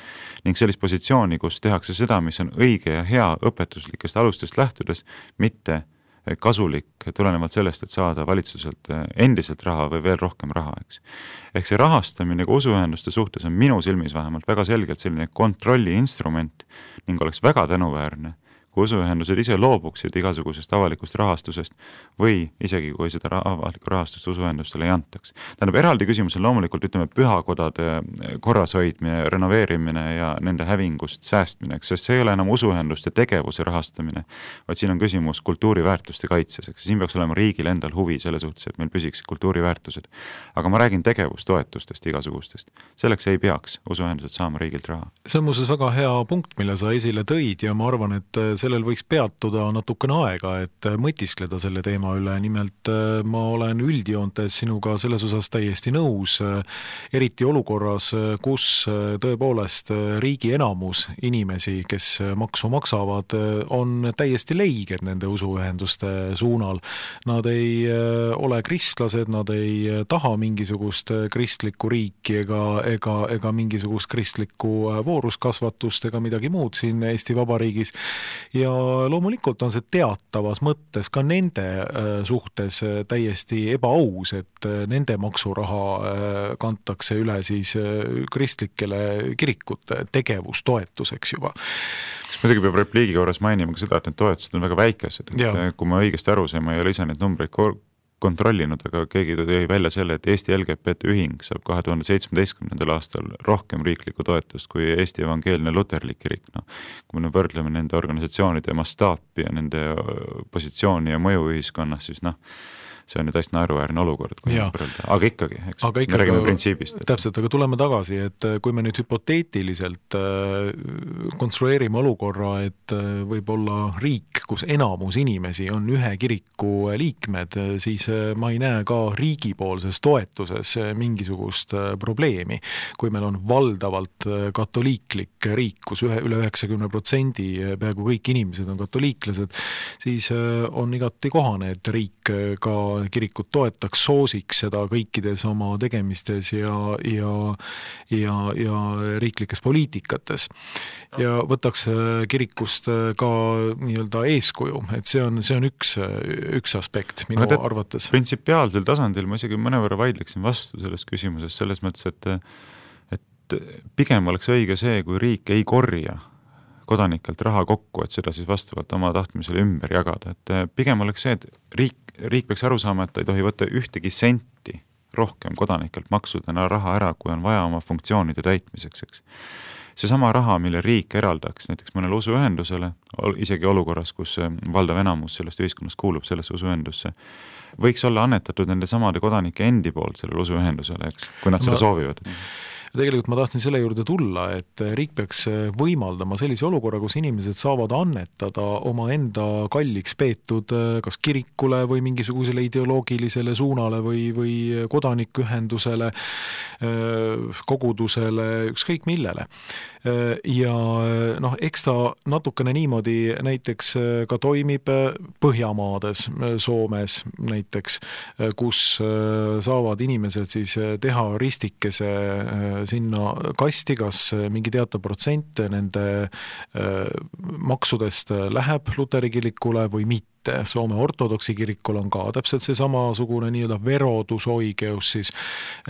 ning sellist positsiooni, kus tehakse seda, mis on õige ja hea õpetuslikest alustest lähtudes, mitte kasulik tulenevalt sellest, et saada valitsuselt endiselt raha või veel rohkem raha, eks. Ehk see rahastamine ka usuühenduste suhtes on minu silmis vähemalt väga selgelt selline kontrolli instrument ning oleks väga tänuväärne, kui usuühendused ise loobuksid igasugusest avalikust rahastusest või isegi kui seda avalikku rahastust usuühendustele ei antaks. Tähendab, eraldi küsimus on loomulikult, pühakodade korrashoidmine, renoveerimine ja nende hävingust säästmine, sest see ei ole enam usuühenduste tegevuse rahastamine, vaid siin on küsimus kultuuriväärtuste kaitses. Siin peaks olema riigil endal huvi selle suhtes, et meil püsiks kultuuriväärtused. Aga ma räägin tegevustoetustest igasugustest. Selleks ei peaks usuühendused saama riigilt raha. See on muuseas väga hea punkt, mille sa esile tõid ja ma arvan, et sellel võiks peatuda natukene aega, et mõtiskleda selle teema üle. Nimelt ma olen üldjoontes sinuga selles osas täiesti nõus, eriti olukorras, kus tõepoolest riigi enamus inimesi, kes maksu maksavad, on täiesti leiged nende usuühenduste suunal. Nad ei ole kristlased, nad ei taha mingisugust kristlikku riiki ega mingisugust kristlikku vooruskasvatust ega midagi muud siin Eesti Vabariigis. Ja loomulikult on see teatavas mõttes ka nende suhtes täiesti ebaaus, et nende maksuraha kantakse üle siis kristlikele kirikute tegevustoetuseks juba. Muidugi peab repliigi korras mainima ka seda, et need toetused on väga väikesed. Kui ma õigesti aru sain, ma ei ole ise neid numbreid kontrollinud, aga keegi tõi välja selle, et Eesti LGBT ühing saab 2017. aastal rohkem riiklikku toetust kui Eesti Evangeelne Luterlik kirik. Kui me võrdleme nende organisatsioonide mastaapi ja nende positsiooni ja mõju ühiskonnas, siis see on ju täiesti naeruväärne olukord, kui võrrelda. Aga ikkagi, me räägime printsiibist. Täpselt, aga tuleme tagasi, et kui me nüüd hüpoteetiliselt konstrueerime olukorra, et võib-olla riik kus enamus inimesi on ühe kiriku liikmed, siis ma ei näe ka riigipoolses toetuses mingisugust probleemi. Kui meil on valdavalt katoliiklik riik, kus üle 90% peaaegu kõik inimesed on katoliiklased, siis on igati kohane, et riik ka kirikut toetaks, soosiks seda kõikides oma tegemistes ja riiklikes poliitikates ja võtaks kirikust ka nii-öelda eeskuju, et see on üks aspekt minu arvates. Printsipiaalsel tasandil ma isegi mõnevõrra vaidleksin vastu selles küsimuses, selles mõttes, et pigem oleks õige see, kui riik ei korja kodanikelt raha kokku, et seda siis vastavalt oma tahtmisele ümber jagada. Et pigem oleks see, et riik peaks aru saama, et ta ei tohi võtta ühtegi senti rohkem kodanikelt maksudena raha ära, kui on vaja oma funktsioonide täitmiseks, eks. Seesama raha, mille riik eraldaks näiteks mõnele usuühendusele, isegi olukorras, kus valdav enamus sellest ühiskonnast kuulub sellesse usuühendusse, võiks olla annetatud nende samade kodanike endi poolt sellele usuühendusele, eks, kui nad seda soovivad. Tegelikult ma tahtsin selle juurde tulla, et riik peaks võimaldama sellise olukorra, kus inimesed saavad annetada oma enda kalliks peetud kas kirikule või mingisugusele ideoloogilisele suunale või kodanikuühendusele, kogudusele, ükskõik millele. Ja eks ta natukene niimoodi näiteks ka toimib Põhjamaades, Soomes näiteks, kus saavad inimesed siis teha ristikese sinna kasti, kas mingi teatav protsent nende maksudest läheb Luteri kirikule või mitte. Soome ortodoksi kirikul on ka täpselt see samasugune nii-öelda verodusoikeus siis,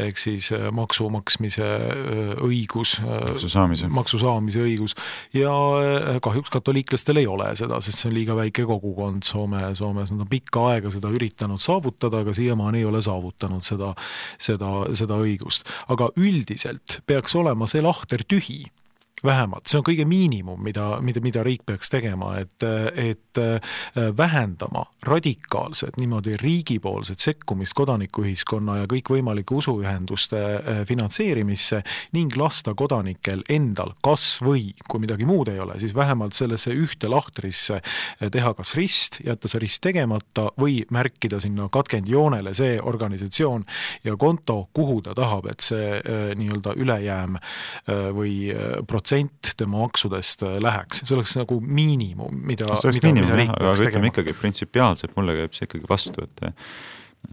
ehk siis maksu maksmise õigus, maksu saamise õigus ja kahjuks katoliiklastel ei ole seda, sest see on liiga väike kogukond Soomes, nad on pikka aega seda üritanud saavutada, aga siiamaani ei ole saavutanud seda õigust. Aga üldiselt peaks olema see lahter tühi. Vähemalt, see on kõige miinimum, mida riik peaks tegema, et vähendama radikaalselt niimoodi riigipoolset sekkumist kodanikuühiskonna ja kõik võimalike usuühenduste finantseerimisse ning lasta kodanikel endal kas või, kui midagi muud ei ole, siis vähemalt sellesse ühte lahtrisse teha kas rist, jätta see rist tegemata või märkida sinna katkendjoonele see organisatsioon ja konto, kuhu ta tahab, et see nii-öelda ülejääm või protsent tema maksudest läheks. See oleks nagu miinimum, mida riik peaks tegema. Ikkagi printsipiaalselt mulle käib see ikkagi vastu,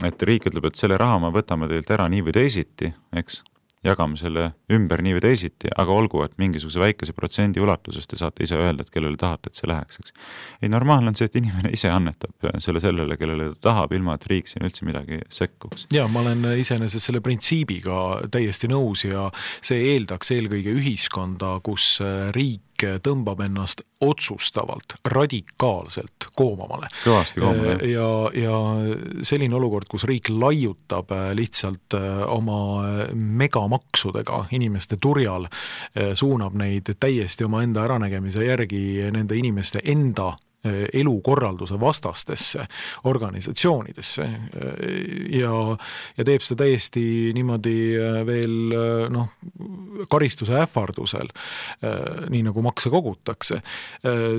et riik ütleb, et selle raha me võtame teilt ära nii või teisiti, eks, jagame selle ümber nii või teisiti, aga olgu, et mingisuguse väikese protsendi ulatuses te saate ise öelda, et kellele tahate, et see läheks, eks. Ei, normaalne on see, et inimene ise annetab sellele, kellele ta tahab, ilma et riik siin üldse midagi sekkuks. Ja ma olen iseenesest selle printsiibiga täiesti nõus ja see eeldaks eelkõige ühiskonda, kus riik tõmbab ennast otsustavalt, radikaalselt koomamale. Kõvasti koomale. Ja selline olukord, kus riik laiutab lihtsalt oma megamaksudega inimeste turjal, suunab neid täiesti oma enda äranägemise järgi nende inimeste enda elukorralduse vastastesse organisatsioonidesse ja teeb seda täiesti niimoodi veel karistuse ähvardusel, nii nagu makse kogutakse,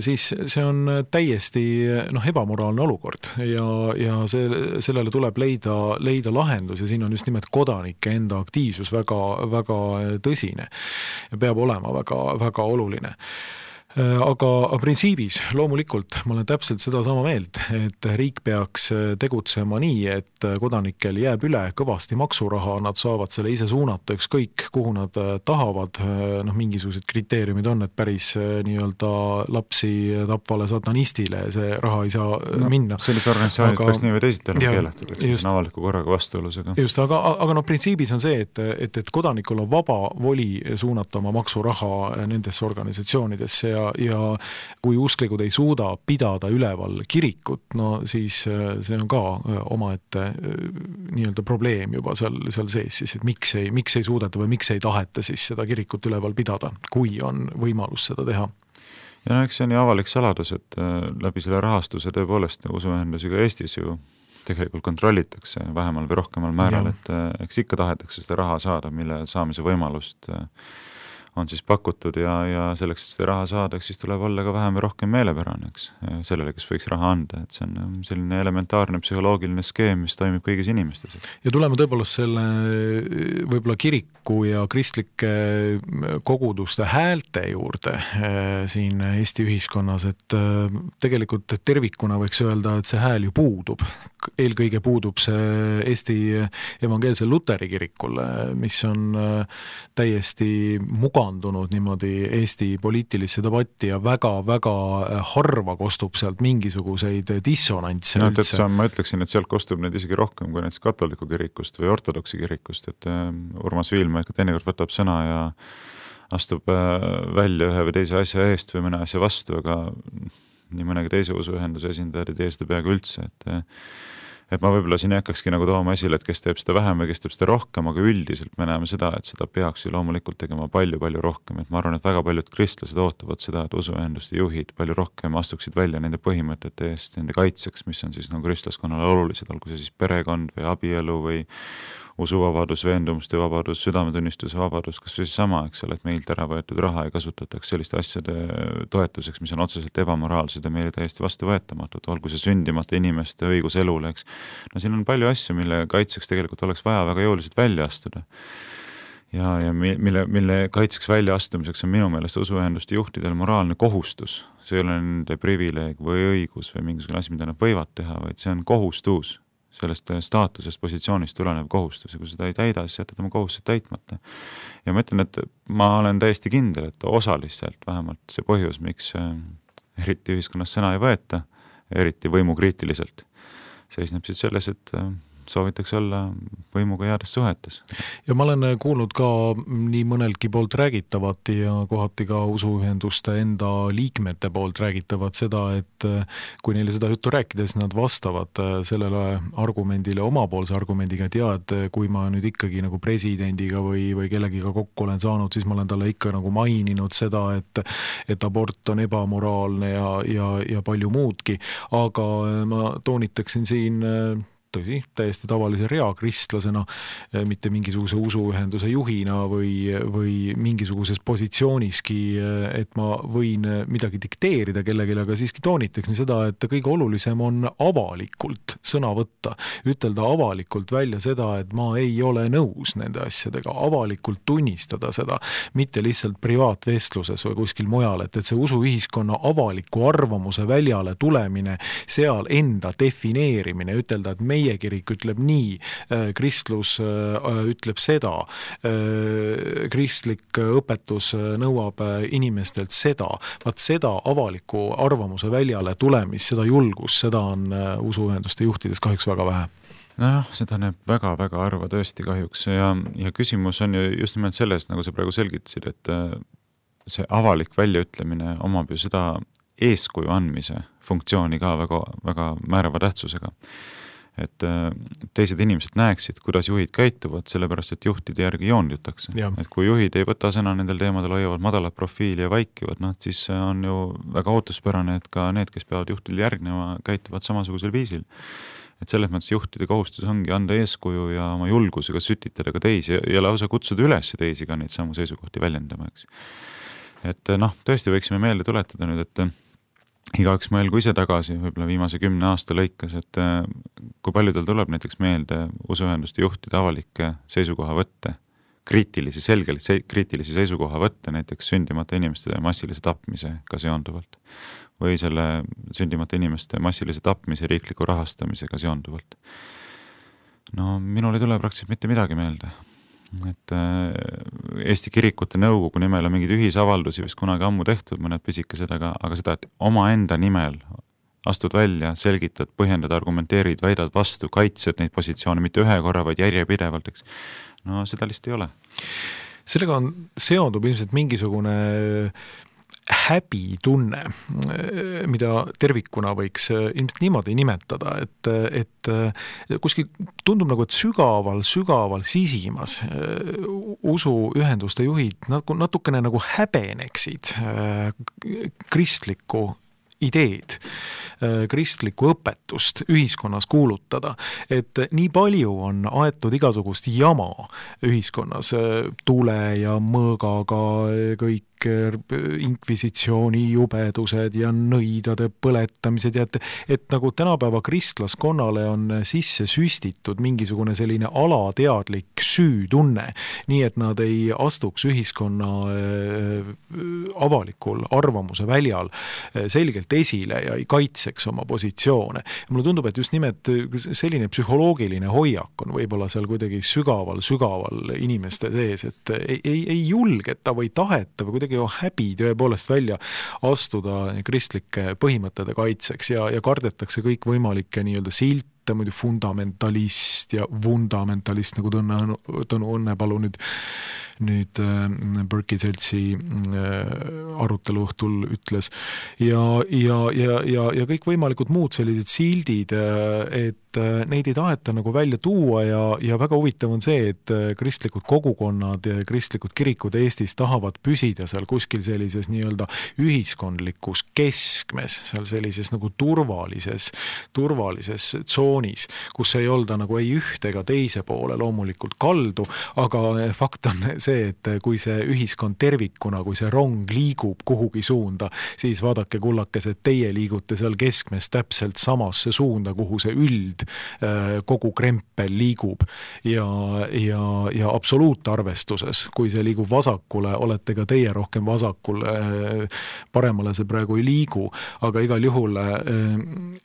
siis see on täiesti ebamoraalne olukord ja sellele tuleb leida lahendus ja siin on just nimelt kodanike enda aktiivsus väga, väga tõsine ja peab olema väga, väga oluline. Aga printsiibis loomulikult ma olen täpselt seda sama meelt, et riik peaks tegutsema nii, et kodanikel jääb üle kõvasti maksuraha, nad saavad selle ise suunata ükskõik, kuhu nad tahavad, mingisugused kriteeriumid on, et päris nii-öelda lapsi tapvale satanistile see raha ei saa minna. Sellised organisatsioonid peaks nii või teisiti enam keelatud, eks avaliku korraga vastuolusega. Just, aga printsiibis on see, et kodanikul on vaba voli suunata oma maksuraha nendesse organisatsioonidesse ja kui usklikud ei suuda pidada üleval kirikut, siis see on ka omaette nii-öelda probleem juba seal sees siis, et miks ei suudeta või miks ei taheta siis seda kirikut üleval pidada, kui on võimalus seda teha. Ja eks see on ju avalik saladus, et läbi selle rahastuse tõepoolest usuühendusi ka Eestis ju tegelikult kontrollitakse vähemal või rohkemal määral, et eks ikka tahetakse seda raha saada, mille saamise võimalust on siis pakutud ja selleks, et seda raha saadaks, siis tuleb olla ka vähem või rohkem meelepärane, eks, sellele, kes võiks raha anda, et see on selline elementaarne psühholoogiline skeem, mis toimib kõigis inimestes. Ja tuleme tõepoolest selle võib-olla kiriku ja kristlike koguduste häälte juurde siin Eesti ühiskonnas, et tegelikult tervikuna võiks öelda, et see hääl ju puudub. Eelkõige puudub see Eesti evangeelse Luteri kirikul, mis on täiesti mugandunud niimoodi Eesti poliitilisse debatti ja väga-väga harva kostub sealt mingisuguseid dissonantse üldse. Ma ütleksin, et sealt kostub neid isegi rohkem kui näiteks katoliku kirikust või ortodoksi kirikust, et Urmas Viilma ikka teinekord võtab sõna ja astub välja ühe või teise asja eest või mõne asja vastu, aga nii mõnegi teise usuühenduse esindajad ei tee seda peaaegu üldse, et ma võib-olla siin ei hakkakski nagu tooma esile, et kes teeb seda vähem või kes teeb seda rohkem, aga üldiselt me näeme seda, et seda peaks ju loomulikult tegema palju-palju rohkem, et ma arvan, et väga paljud kristlased ootavad seda, et usuühenduste juhid palju rohkem astuksid välja nende põhimõtete eest, nende kaitseks, mis on siis nagu kristlaskonnale olulised, olgu see siis perekond või abielu või usuvabadus, veendumuste vabadus, südametunnistuse vabadus, kas või sama, eks ole, et meilt ära võetud raha ei kasutataks selliste asjade toetuseks, mis on otseselt ebamoraalsed ja meile täiesti vastuvõetamatud, olgu see sündimata inimeste õigus elule, eks. No siin on palju asju, mille kaitseks tegelikult oleks vaja väga jõuliselt välja astuda. Ja mille kaitseks välja astumiseks on minu meelest usuühenduste juhtidel moraalne kohustus. See ei ole nende privileeg või õigus või mingisugune asi, mida nad võivad teha, vaid see on kohustus. Sellest staatusest, positsioonist tulenev kohustus ja kui seda ei täida, siis jätad oma kohustused täitmata. Ja ma ütlen, et ma olen täiesti kindel, et osaliselt vähemalt see põhjus, miks eriti ühiskonnas sõna ei võeta, eriti võimukriitiliselt, seisneb siis selles, et soovitakse olla võimuga heades suhetes. Ja ma olen kuulnud ka nii mõnelgi poolt räägitavat ja kohati ka usuühenduste enda liikmete poolt räägitavat seda, et kui neile seda juttu rääkides, nad vastavad sellele argumendile omapoolse argumendiga, et et kui ma nüüd ikkagi nagu presidendiga või kellegiga kokku olen saanud, siis ma olen talle ikka nagu maininud seda, et abort on ebamoraalne ja palju muudki, aga ma toonitaksin siin tõsi, täiesti tavalise reakristlasena, mitte mingisuguse usuühenduse juhina või mingisuguses positsiooniski, et ma võin midagi dikteerida kellelegi, aga siiski toonitaksin seda, et kõige olulisem on avalikult sõna võtta, ütelda avalikult välja seda, et ma ei ole nõus nende asjadega, avalikult tunnistada seda, mitte lihtsalt privaatvestluses või kuskil mujal, et see usuühiskonna avaliku arvamuse väljale tulemine, seal enda defineerimine, ütelda, et meie kirik ütleb nii, kristlus ütleb seda, kristlik õpetus nõuab inimestelt seda, vaat seda avaliku arvamuse väljale tulemist, seda julgust, seda on usuühenduste juhtides kahjuks väga vähe. Noh, seda näeb väga-väga harva tõesti kahjuks ja küsimus on ju just nimelt selles, nagu sa praegu selgitasid, et see avalik väljaütlemine omab ju seda eeskuju andmise funktsiooni ka väga määrava tähtsusega. Et teised inimesed näeksid, kuidas juhid käituvad, sellepärast, et juhtide järgi joondutakse. Et kui juhid ei võta sõna nendel teemadel, hoiavad madalat profiili ja vaikivad, siis on ju väga ootuspärane, et ka need, kes peavad juhtidel järgnema, käituvad samasugusel viisil. Et selles mõttes juhtide kohustus ongi anda eeskuju ja oma julgusega sütitada ka teisi ja lausa kutsuda üles teisi ka neid samu seisukohti väljendama, eks. Et tõesti võiksime meelde tuletada nüüd, et igaüks mõelgu ise tagasi, võib-olla viimase 10 aasta lõikes, et kui palju tal tuleb näiteks meelde usuühenduste juhtide avalikke seisukohavõtte, selgelt kriitilisi seisukohavõtte näiteks sündimata inimeste massilise tapmisega seonduvalt või selle sündimata inimeste massilise tapmise riikliku rahastamisega seonduvalt. No minul ei tule praktiliselt mitte midagi meelde. Et Eesti kirikute nõukogu nimel on mingid ühisavaldusi vist kunagi ammu tehtud, mõned pisikesed, aga seda, et oma enda nimel astud välja, selgitad, põhjendad, argumenteerid, väidad vastu, kaitsed neid positsioone mitte ühe korra, vaid järjepidevalt, eks. No seda lihtsalt ei ole. Sellega seondub ilmselt mingisugune häbitunne, mida tervikuna võiks ilmselt niimoodi nimetada, et kuskil tundub nagu, et sügaval sisimas usuühenduste juhid natukene nagu häbeneksid kristlikku ideed, kristlikku õpetust ühiskonnas kuulutada, et nii palju on aetud igasugust jama ühiskonnas, tule ja mõõgaga kõik inkvisitsiooni jubedused ja nõidade põletamised ja et nagu tänapäeva kristlaskonnale on sisse süstitud mingisugune selline alateadlik süütunne, nii et nad ei astuks ühiskonna avalikul arvamuse väljal selgelt esile ja ei kaitseks oma positsioone. Ja mulle tundub, et just nimelt selline psühholoogiline hoiak on võib-olla seal kuidagi sügaval inimeste sees, et ei julgeta või taheta või kuidagi häbi tõepoolest välja astuda kristlike põhimõtete kaitseks ja kardetakse kõik võimalikke nii-öelda silte, muidu fundamentalist ja vundamentalist, nagu Tõnu Õnnepalu nüüd Berkey seltsi arutelu õhtul ütles ja kõik võimalikud muud sellised sildid, et neid ei taheta nagu välja tuua ja väga huvitav on see, et kristlikud kogukonnad ja kristlikud kirikud Eestis tahavad püsida seal kuskil sellises nii-öelda ühiskondlikus keskmes, seal sellises nagu turvalises tsoonis, kus ei olda nagu ei ühte ega teise poole loomulikult kaldu, aga fakt on see, et kui see ühiskond tervikuna, kui see rong liigub kuhugi suunda, siis vaadake kullakes, et teie liigute seal keskmes täpselt samasse suunda, kuhu see kogu krempel liigub ja absoluutarvestuses, kui see liigub vasakule, olete ka teie rohkem vasakul, paremale see praegu ei liigu, aga igal juhul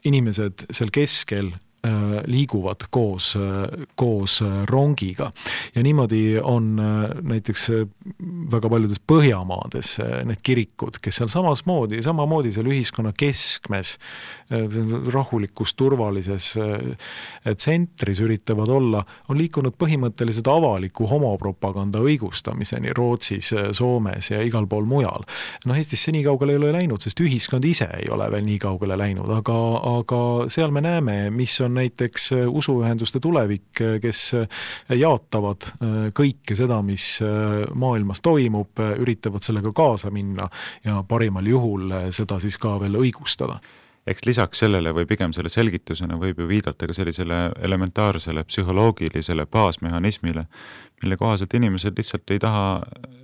inimesed seal keskel liiguvad koos rongiga. Ja niimoodi on näiteks väga paljudes Põhjamaades need kirikud, kes seal samamoodi seal ühiskonna keskmes, rahulikus, turvalises tsentris üritavad olla, on liikunud põhimõtteliselt avaliku homopropaganda õigustamiseni Rootsis, Soomes ja igal pool mujal. Eestis see nii kaugele ei ole läinud, sest ühiskond ise ei ole veel nii kaugele läinud, aga seal me näeme, mis on näiteks usuühenduste tulevik, kes jaatavad kõike seda, mis maailmas toimub, üritavad sellega kaasa minna ja parimal juhul seda siis ka veel õigustada. Eks lisaks sellele või pigem selle selgitusena võib ju viidata ka sellisele elementaarsele psühholoogilisele baasmehhanismile, mille kohaselt inimesed lihtsalt ei taha,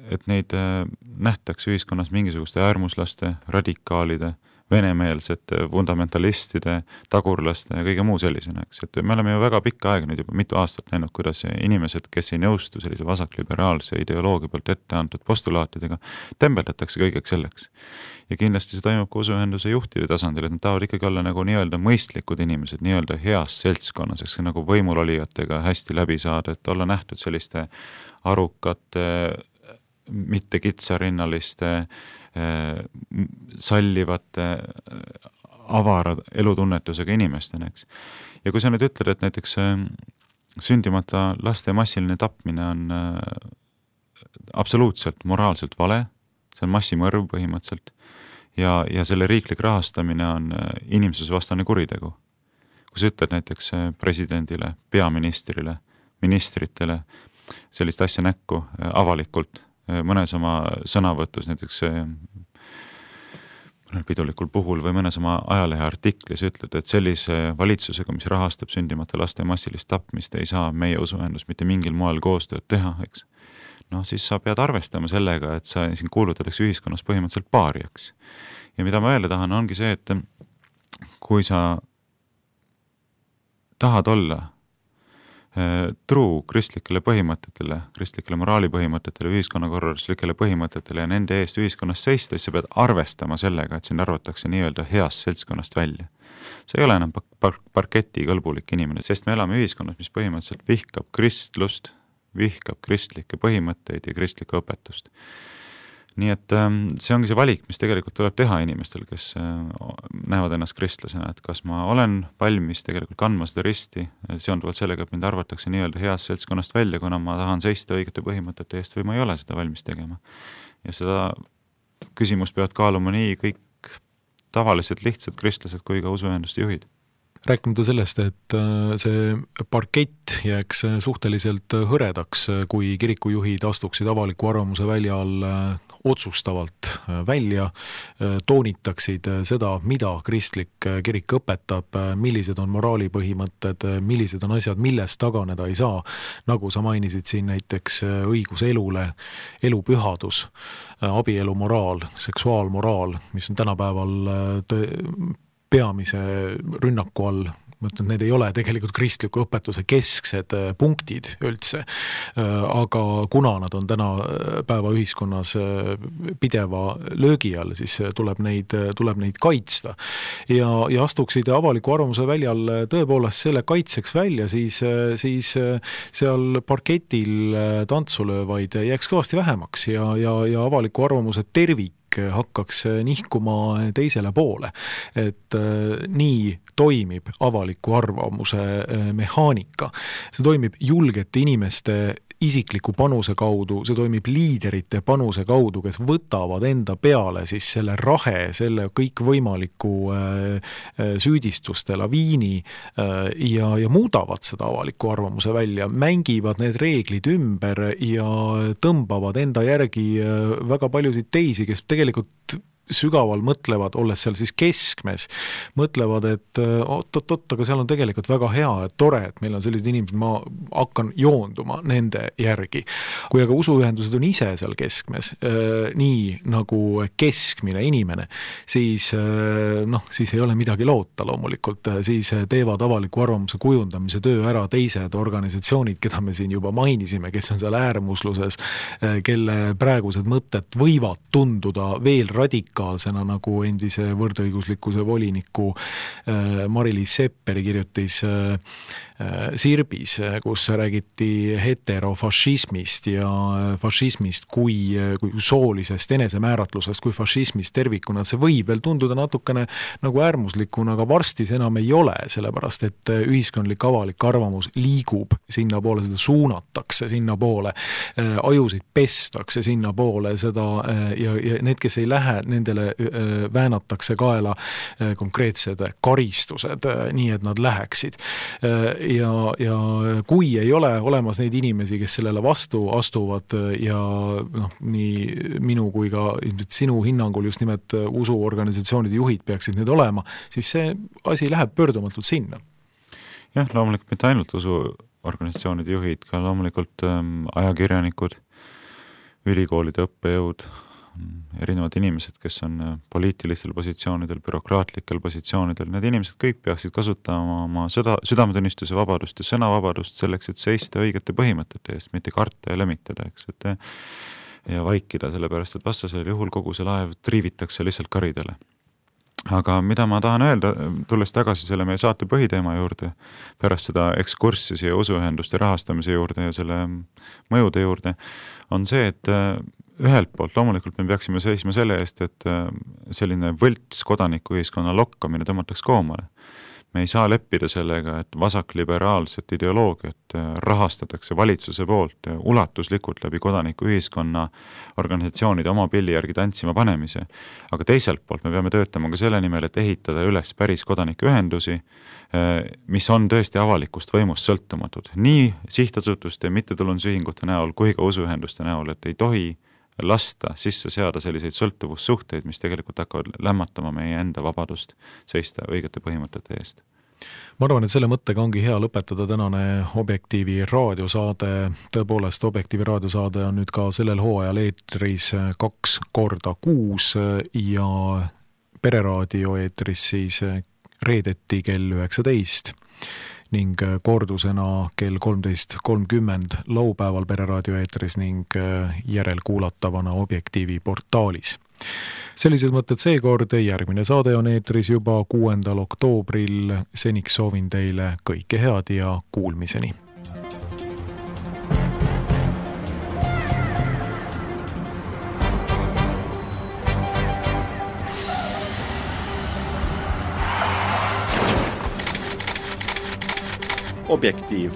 et neid nähtaks ühiskonnas mingisuguste äärmuslaste, radikaalide, venemeelsete, fundamentalistide, tagurlaste ja kõige muu sellisena, eks. Et me oleme ju väga pikka aega nüüd juba mitu aastat näinud, kuidas inimesed, kes ei nõustu sellise vasakliberaalse ideoloogia poolt ette antud postulaatidega, tembeldatakse kõigeks selleks. Ja kindlasti see toimub ka usuühenduse juhtide tasandil, et nad tahavad ikkagi olla nagu nii-öelda mõistlikud inimesed, nii-öelda heas seltskonnas, eks nagu võimulolijatega hästi läbi saada, et olla nähtud selliste arukate, mitte kitsarinnaliste, sallivate, avara elutunnetusega inimestena, eks. Ja kui sa nüüd ütled, et näiteks sündimata laste massiline tapmine on absoluutselt moraalselt vale, see on massimõrv põhimõtteliselt, ja selle riiklik rahastamine on inimsusvastane kuritegu. Kui sa ütled näiteks presidendile, peaministrile, ministritele sellist asja näkku avalikult, mõnes oma sõnavõtus, näiteks pidulikul puhul või mõnes oma ajalehe artiklis ütled, et sellise valitsusega, mis rahastab sündimata laste massilist tapmist, ei saa meie usuühendus mitte mingil moel koostööd teha, eks. Siis sa pead arvestama sellega, et sa siin kuulutatakse ühiskonnas põhimõtteliselt paariaks. Ja mida ma öelda tahan, ongi see, et kui sa tahad olla truu kristlikele põhimõtetele, kristlikele moraalipõhimõtetele, ühiskonnakorralduslikele põhimõtetele ja nende eest ühiskonnas seista, siis sa pead arvestama sellega, et sind arvatakse nii-öelda heast seltskonnast välja. See ei ole enam parketi kõlbulik inimene, sest me elame ühiskonnas, mis põhimõtteliselt vihkab kristlust, vihkab kristlikke põhimõtteid ja kristlikku õpetust. Nii et see ongi see valik, mis tegelikult tuleb teha inimestel, kes näevad ennast kristlasena, et kas ma olen valmis tegelikult kandma seda risti, seonduvalt sellega, et mind arvatakse nii-öelda heast seltskonnast välja, kuna ma tahan seista õigete põhimõtete eest või ma ei ole seda valmis tegema. Ja seda küsimust peavad kaaluma nii kõik tavalised lihtsad kristlased kui ka usuühenduste juhid. Rääkimata sellest, et see parkett jääks suhteliselt hõredaks, kui kirikujuhid astuksid avaliku arvamuse väljal otsustavalt välja, toonitaksid seda, mida kristlik kirik õpetab, millised on moraalipõhimõtted, millised on asjad, millest taganeda ei saa, nagu sa mainisid siin näiteks õigus elule, elupühadus, abielu moraal, seksuaalmoraal, mis on tänapäeval peamise rünnaku all. Ma ütlen, need ei ole tegelikult kristliku õpetuse kesksed punktid üldse, aga kuna nad on täna päeva ühiskonnas pideva löögi all, siis tuleb neid kaitsta. Ja astuksid avaliku arvamuse väljal tõepoolest selle kaitseks välja, siis seal parketil tantsulöövaid jääks kõvasti vähemaks ja avaliku arvamuse tervik hakkaks nihkuma teisele poole. Et nii toimib avaliku arvamuse mehaanika. See toimib julgete inimeste isikliku panuse kaudu, see toimib liiderite panuse kaudu, kes võtavad enda peale siis selle rahe, selle kõikvõimaliku süüdistuste laviini ja muudavad seda avaliku arvamuse välja, mängivad need reeglid ümber ja tõmbavad enda järgi väga paljusid teisi, kes tegelikult sügaval mõtlevad, olles seal siis keskmes, mõtlevad, et oot, aga seal on tegelikult väga hea, et tore, et meil on sellised inimesed, ma hakkan joonduma nende järgi. Kui aga usuühendused on ise seal keskmes, nii nagu keskmine inimene, siis ei ole midagi loota loomulikult, siis teevad avaliku arvamuse kujundamise töö ära teised organisatsioonid, keda me siin juba mainisime, kes on seal äärmusluses, kelle praegused mõtted võivad tunduda veel radikaalsena, nagu endise võrdõiguslikkuse voliniku Mari-Liis Sepperi kirjutis Sirbis, kus räägiti heterofašismist ja fašismist kui soolisest enesemääratlusest, kui fašismist tervikuna. See võib veel tunduda natukene nagu äärmuslikuna, aga varsti see enam ei ole, sellepärast et ühiskondlik avalik arvamus liigub sinna poole, seda suunatakse sinna poole, ajusid pestakse sinna poole, seda ja need, kes ei lähe, nendele väänatakse kaela konkreetsed karistused, nii et nad läheksid. Ja kui ei ole olemas neid inimesi, kes sellele vastu astuvad ja nii minu kui ka sinu hinnangul just nimelt usuorganisatsioonide juhid peaksid need olema, siis see asi läheb pöördumatult sinna. Jah, loomulikult mitte ainult usuorganisatsioonide juhid, ka loomulikult ajakirjanikud, ülikoolide õppejõud, erinevad inimesed, kes on poliitilistel positsioonidel, bürokraatlikel positsioonidel, need inimesed kõik peaksid kasutama oma südametunnistuse vabadust ja sõnavabadust selleks, et seista õigete põhimõtete eest, mitte karta ja lömitada, eks, ja vaikida, sellepärast, et vastasel juhul kogu see laev triivitakse lihtsalt karidele. Aga mida ma tahan öelda, tulles tagasi selle meie saate põhiteema juurde, pärast seda ekskurssi siia usuühenduste rahastamise juurde ja selle mõjude juurde, on see, et ühelt poolt loomulikult me peaksime seisma selle eest, et selline võlts kodanikuühiskonna lokkamine tõmmataks koomale. Me ei saa leppida sellega, et vasakliberaalset ideoloogiat rahastatakse valitsuse poolt ulatuslikult läbi kodanikuühiskonna organisatsioonide oma pilli järgi tantsima panemise. Aga teiselt poolt me peame töötama ka selle nimel, et ehitada üles päris kodanikuühendusi, mis on tõesti avalikust võimust sõltumatud. Nii sihtasutuste, mittetulundusühingute näol kui ka usuühenduste näol, et ei tohi lasta sisse seada selliseid sõltuvussuhteid, mis tegelikult hakkavad lämmatama meie enda vabadust seista õigete põhimõtete eest. Ma arvan, et selle mõttega ongi hea lõpetada tänane Objektiivi raadiosaade. Tõepoolest, Objektiivi raadiosaade on nüüd ka sellel hooajal eetris 2 korda kuus ja Pereraadio eetris siis reedeti kell 19 ning kordusena kell 13.30 laupäeval Pereraadio eetris ning järelkuulatavana Objektiivi portaalis. Sellised mõtted seekord, järgmine saade on eetris juba 6. oktoobril. Seniks soovin teile kõike head ja kuulmiseni. Objektiiv.